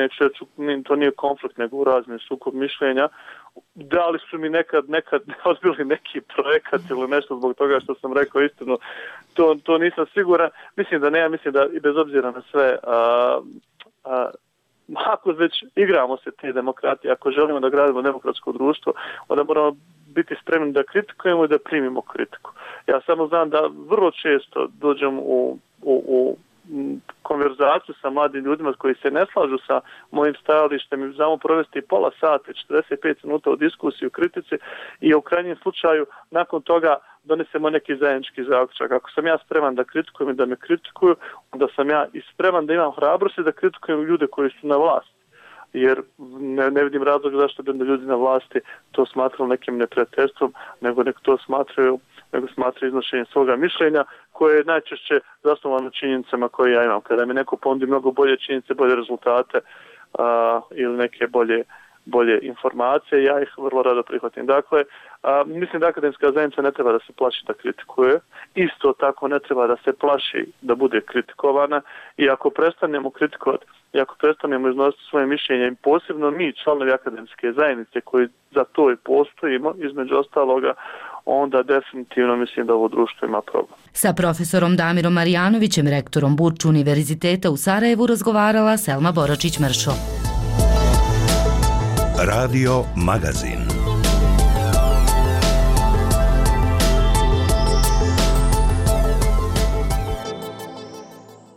to nije konflikt, nego u razne sukob mišljenja. Da li su mi nekad odbili neki projekat ili nešto zbog toga što sam rekao istinu, to nisam siguran. Mislim da ne, mislim da i bez obzira na sve, ako već igramo se te demokratije, ako želimo da gradimo demokratsko društvo, onda moramo biti spremni da kritikujemo i da primimo kritiku. Ja samo znam da vrlo često dođem u konverzaciju sa mladim ljudima koji se ne slažu sa mojim stajalištem i znamo provesti pola sata, 45 minuta u diskusiji, u kritici i u krajnjem slučaju nakon toga donesemo neki zajednički zaključak. Ako sam ja spreman da kritikujem i da me kritikuju, onda sam ja i spreman da imam hrabrosti da kritikujem ljude koji su na vlasti. Jer ne vidim razloga zašto bi ljudi na vlasti to smatrali nekim neprijateljstvom, nego to smatraju iznošenjem svoga mišljenja koje je najčešće zasnovano na činjenicama koje ja imam. Kada mi neko ponudi mnogo bolje činjenice, bolje rezultate ili neke bolje informacije, ja ih vrlo rado prihvatim. Dakle, mislim da akademska zajednica ne treba da se plaši da kritikuje, isto tako ne treba da se plaši da bude kritikovana i ako prestanemo kritikovati, i ako prestanemo iznositi svoje mišljenje, i posebno mi, članovi akademske zajednice koji za to i postojimo, između ostaloga, onda definitivno mislim da ovo društvo ima problem. Sa profesorom Damirom Marjanovićem, rektorom Burč Univerziteta u Sarajevu, razgovarala Selma Boračić-Mršo. Radio Magazin.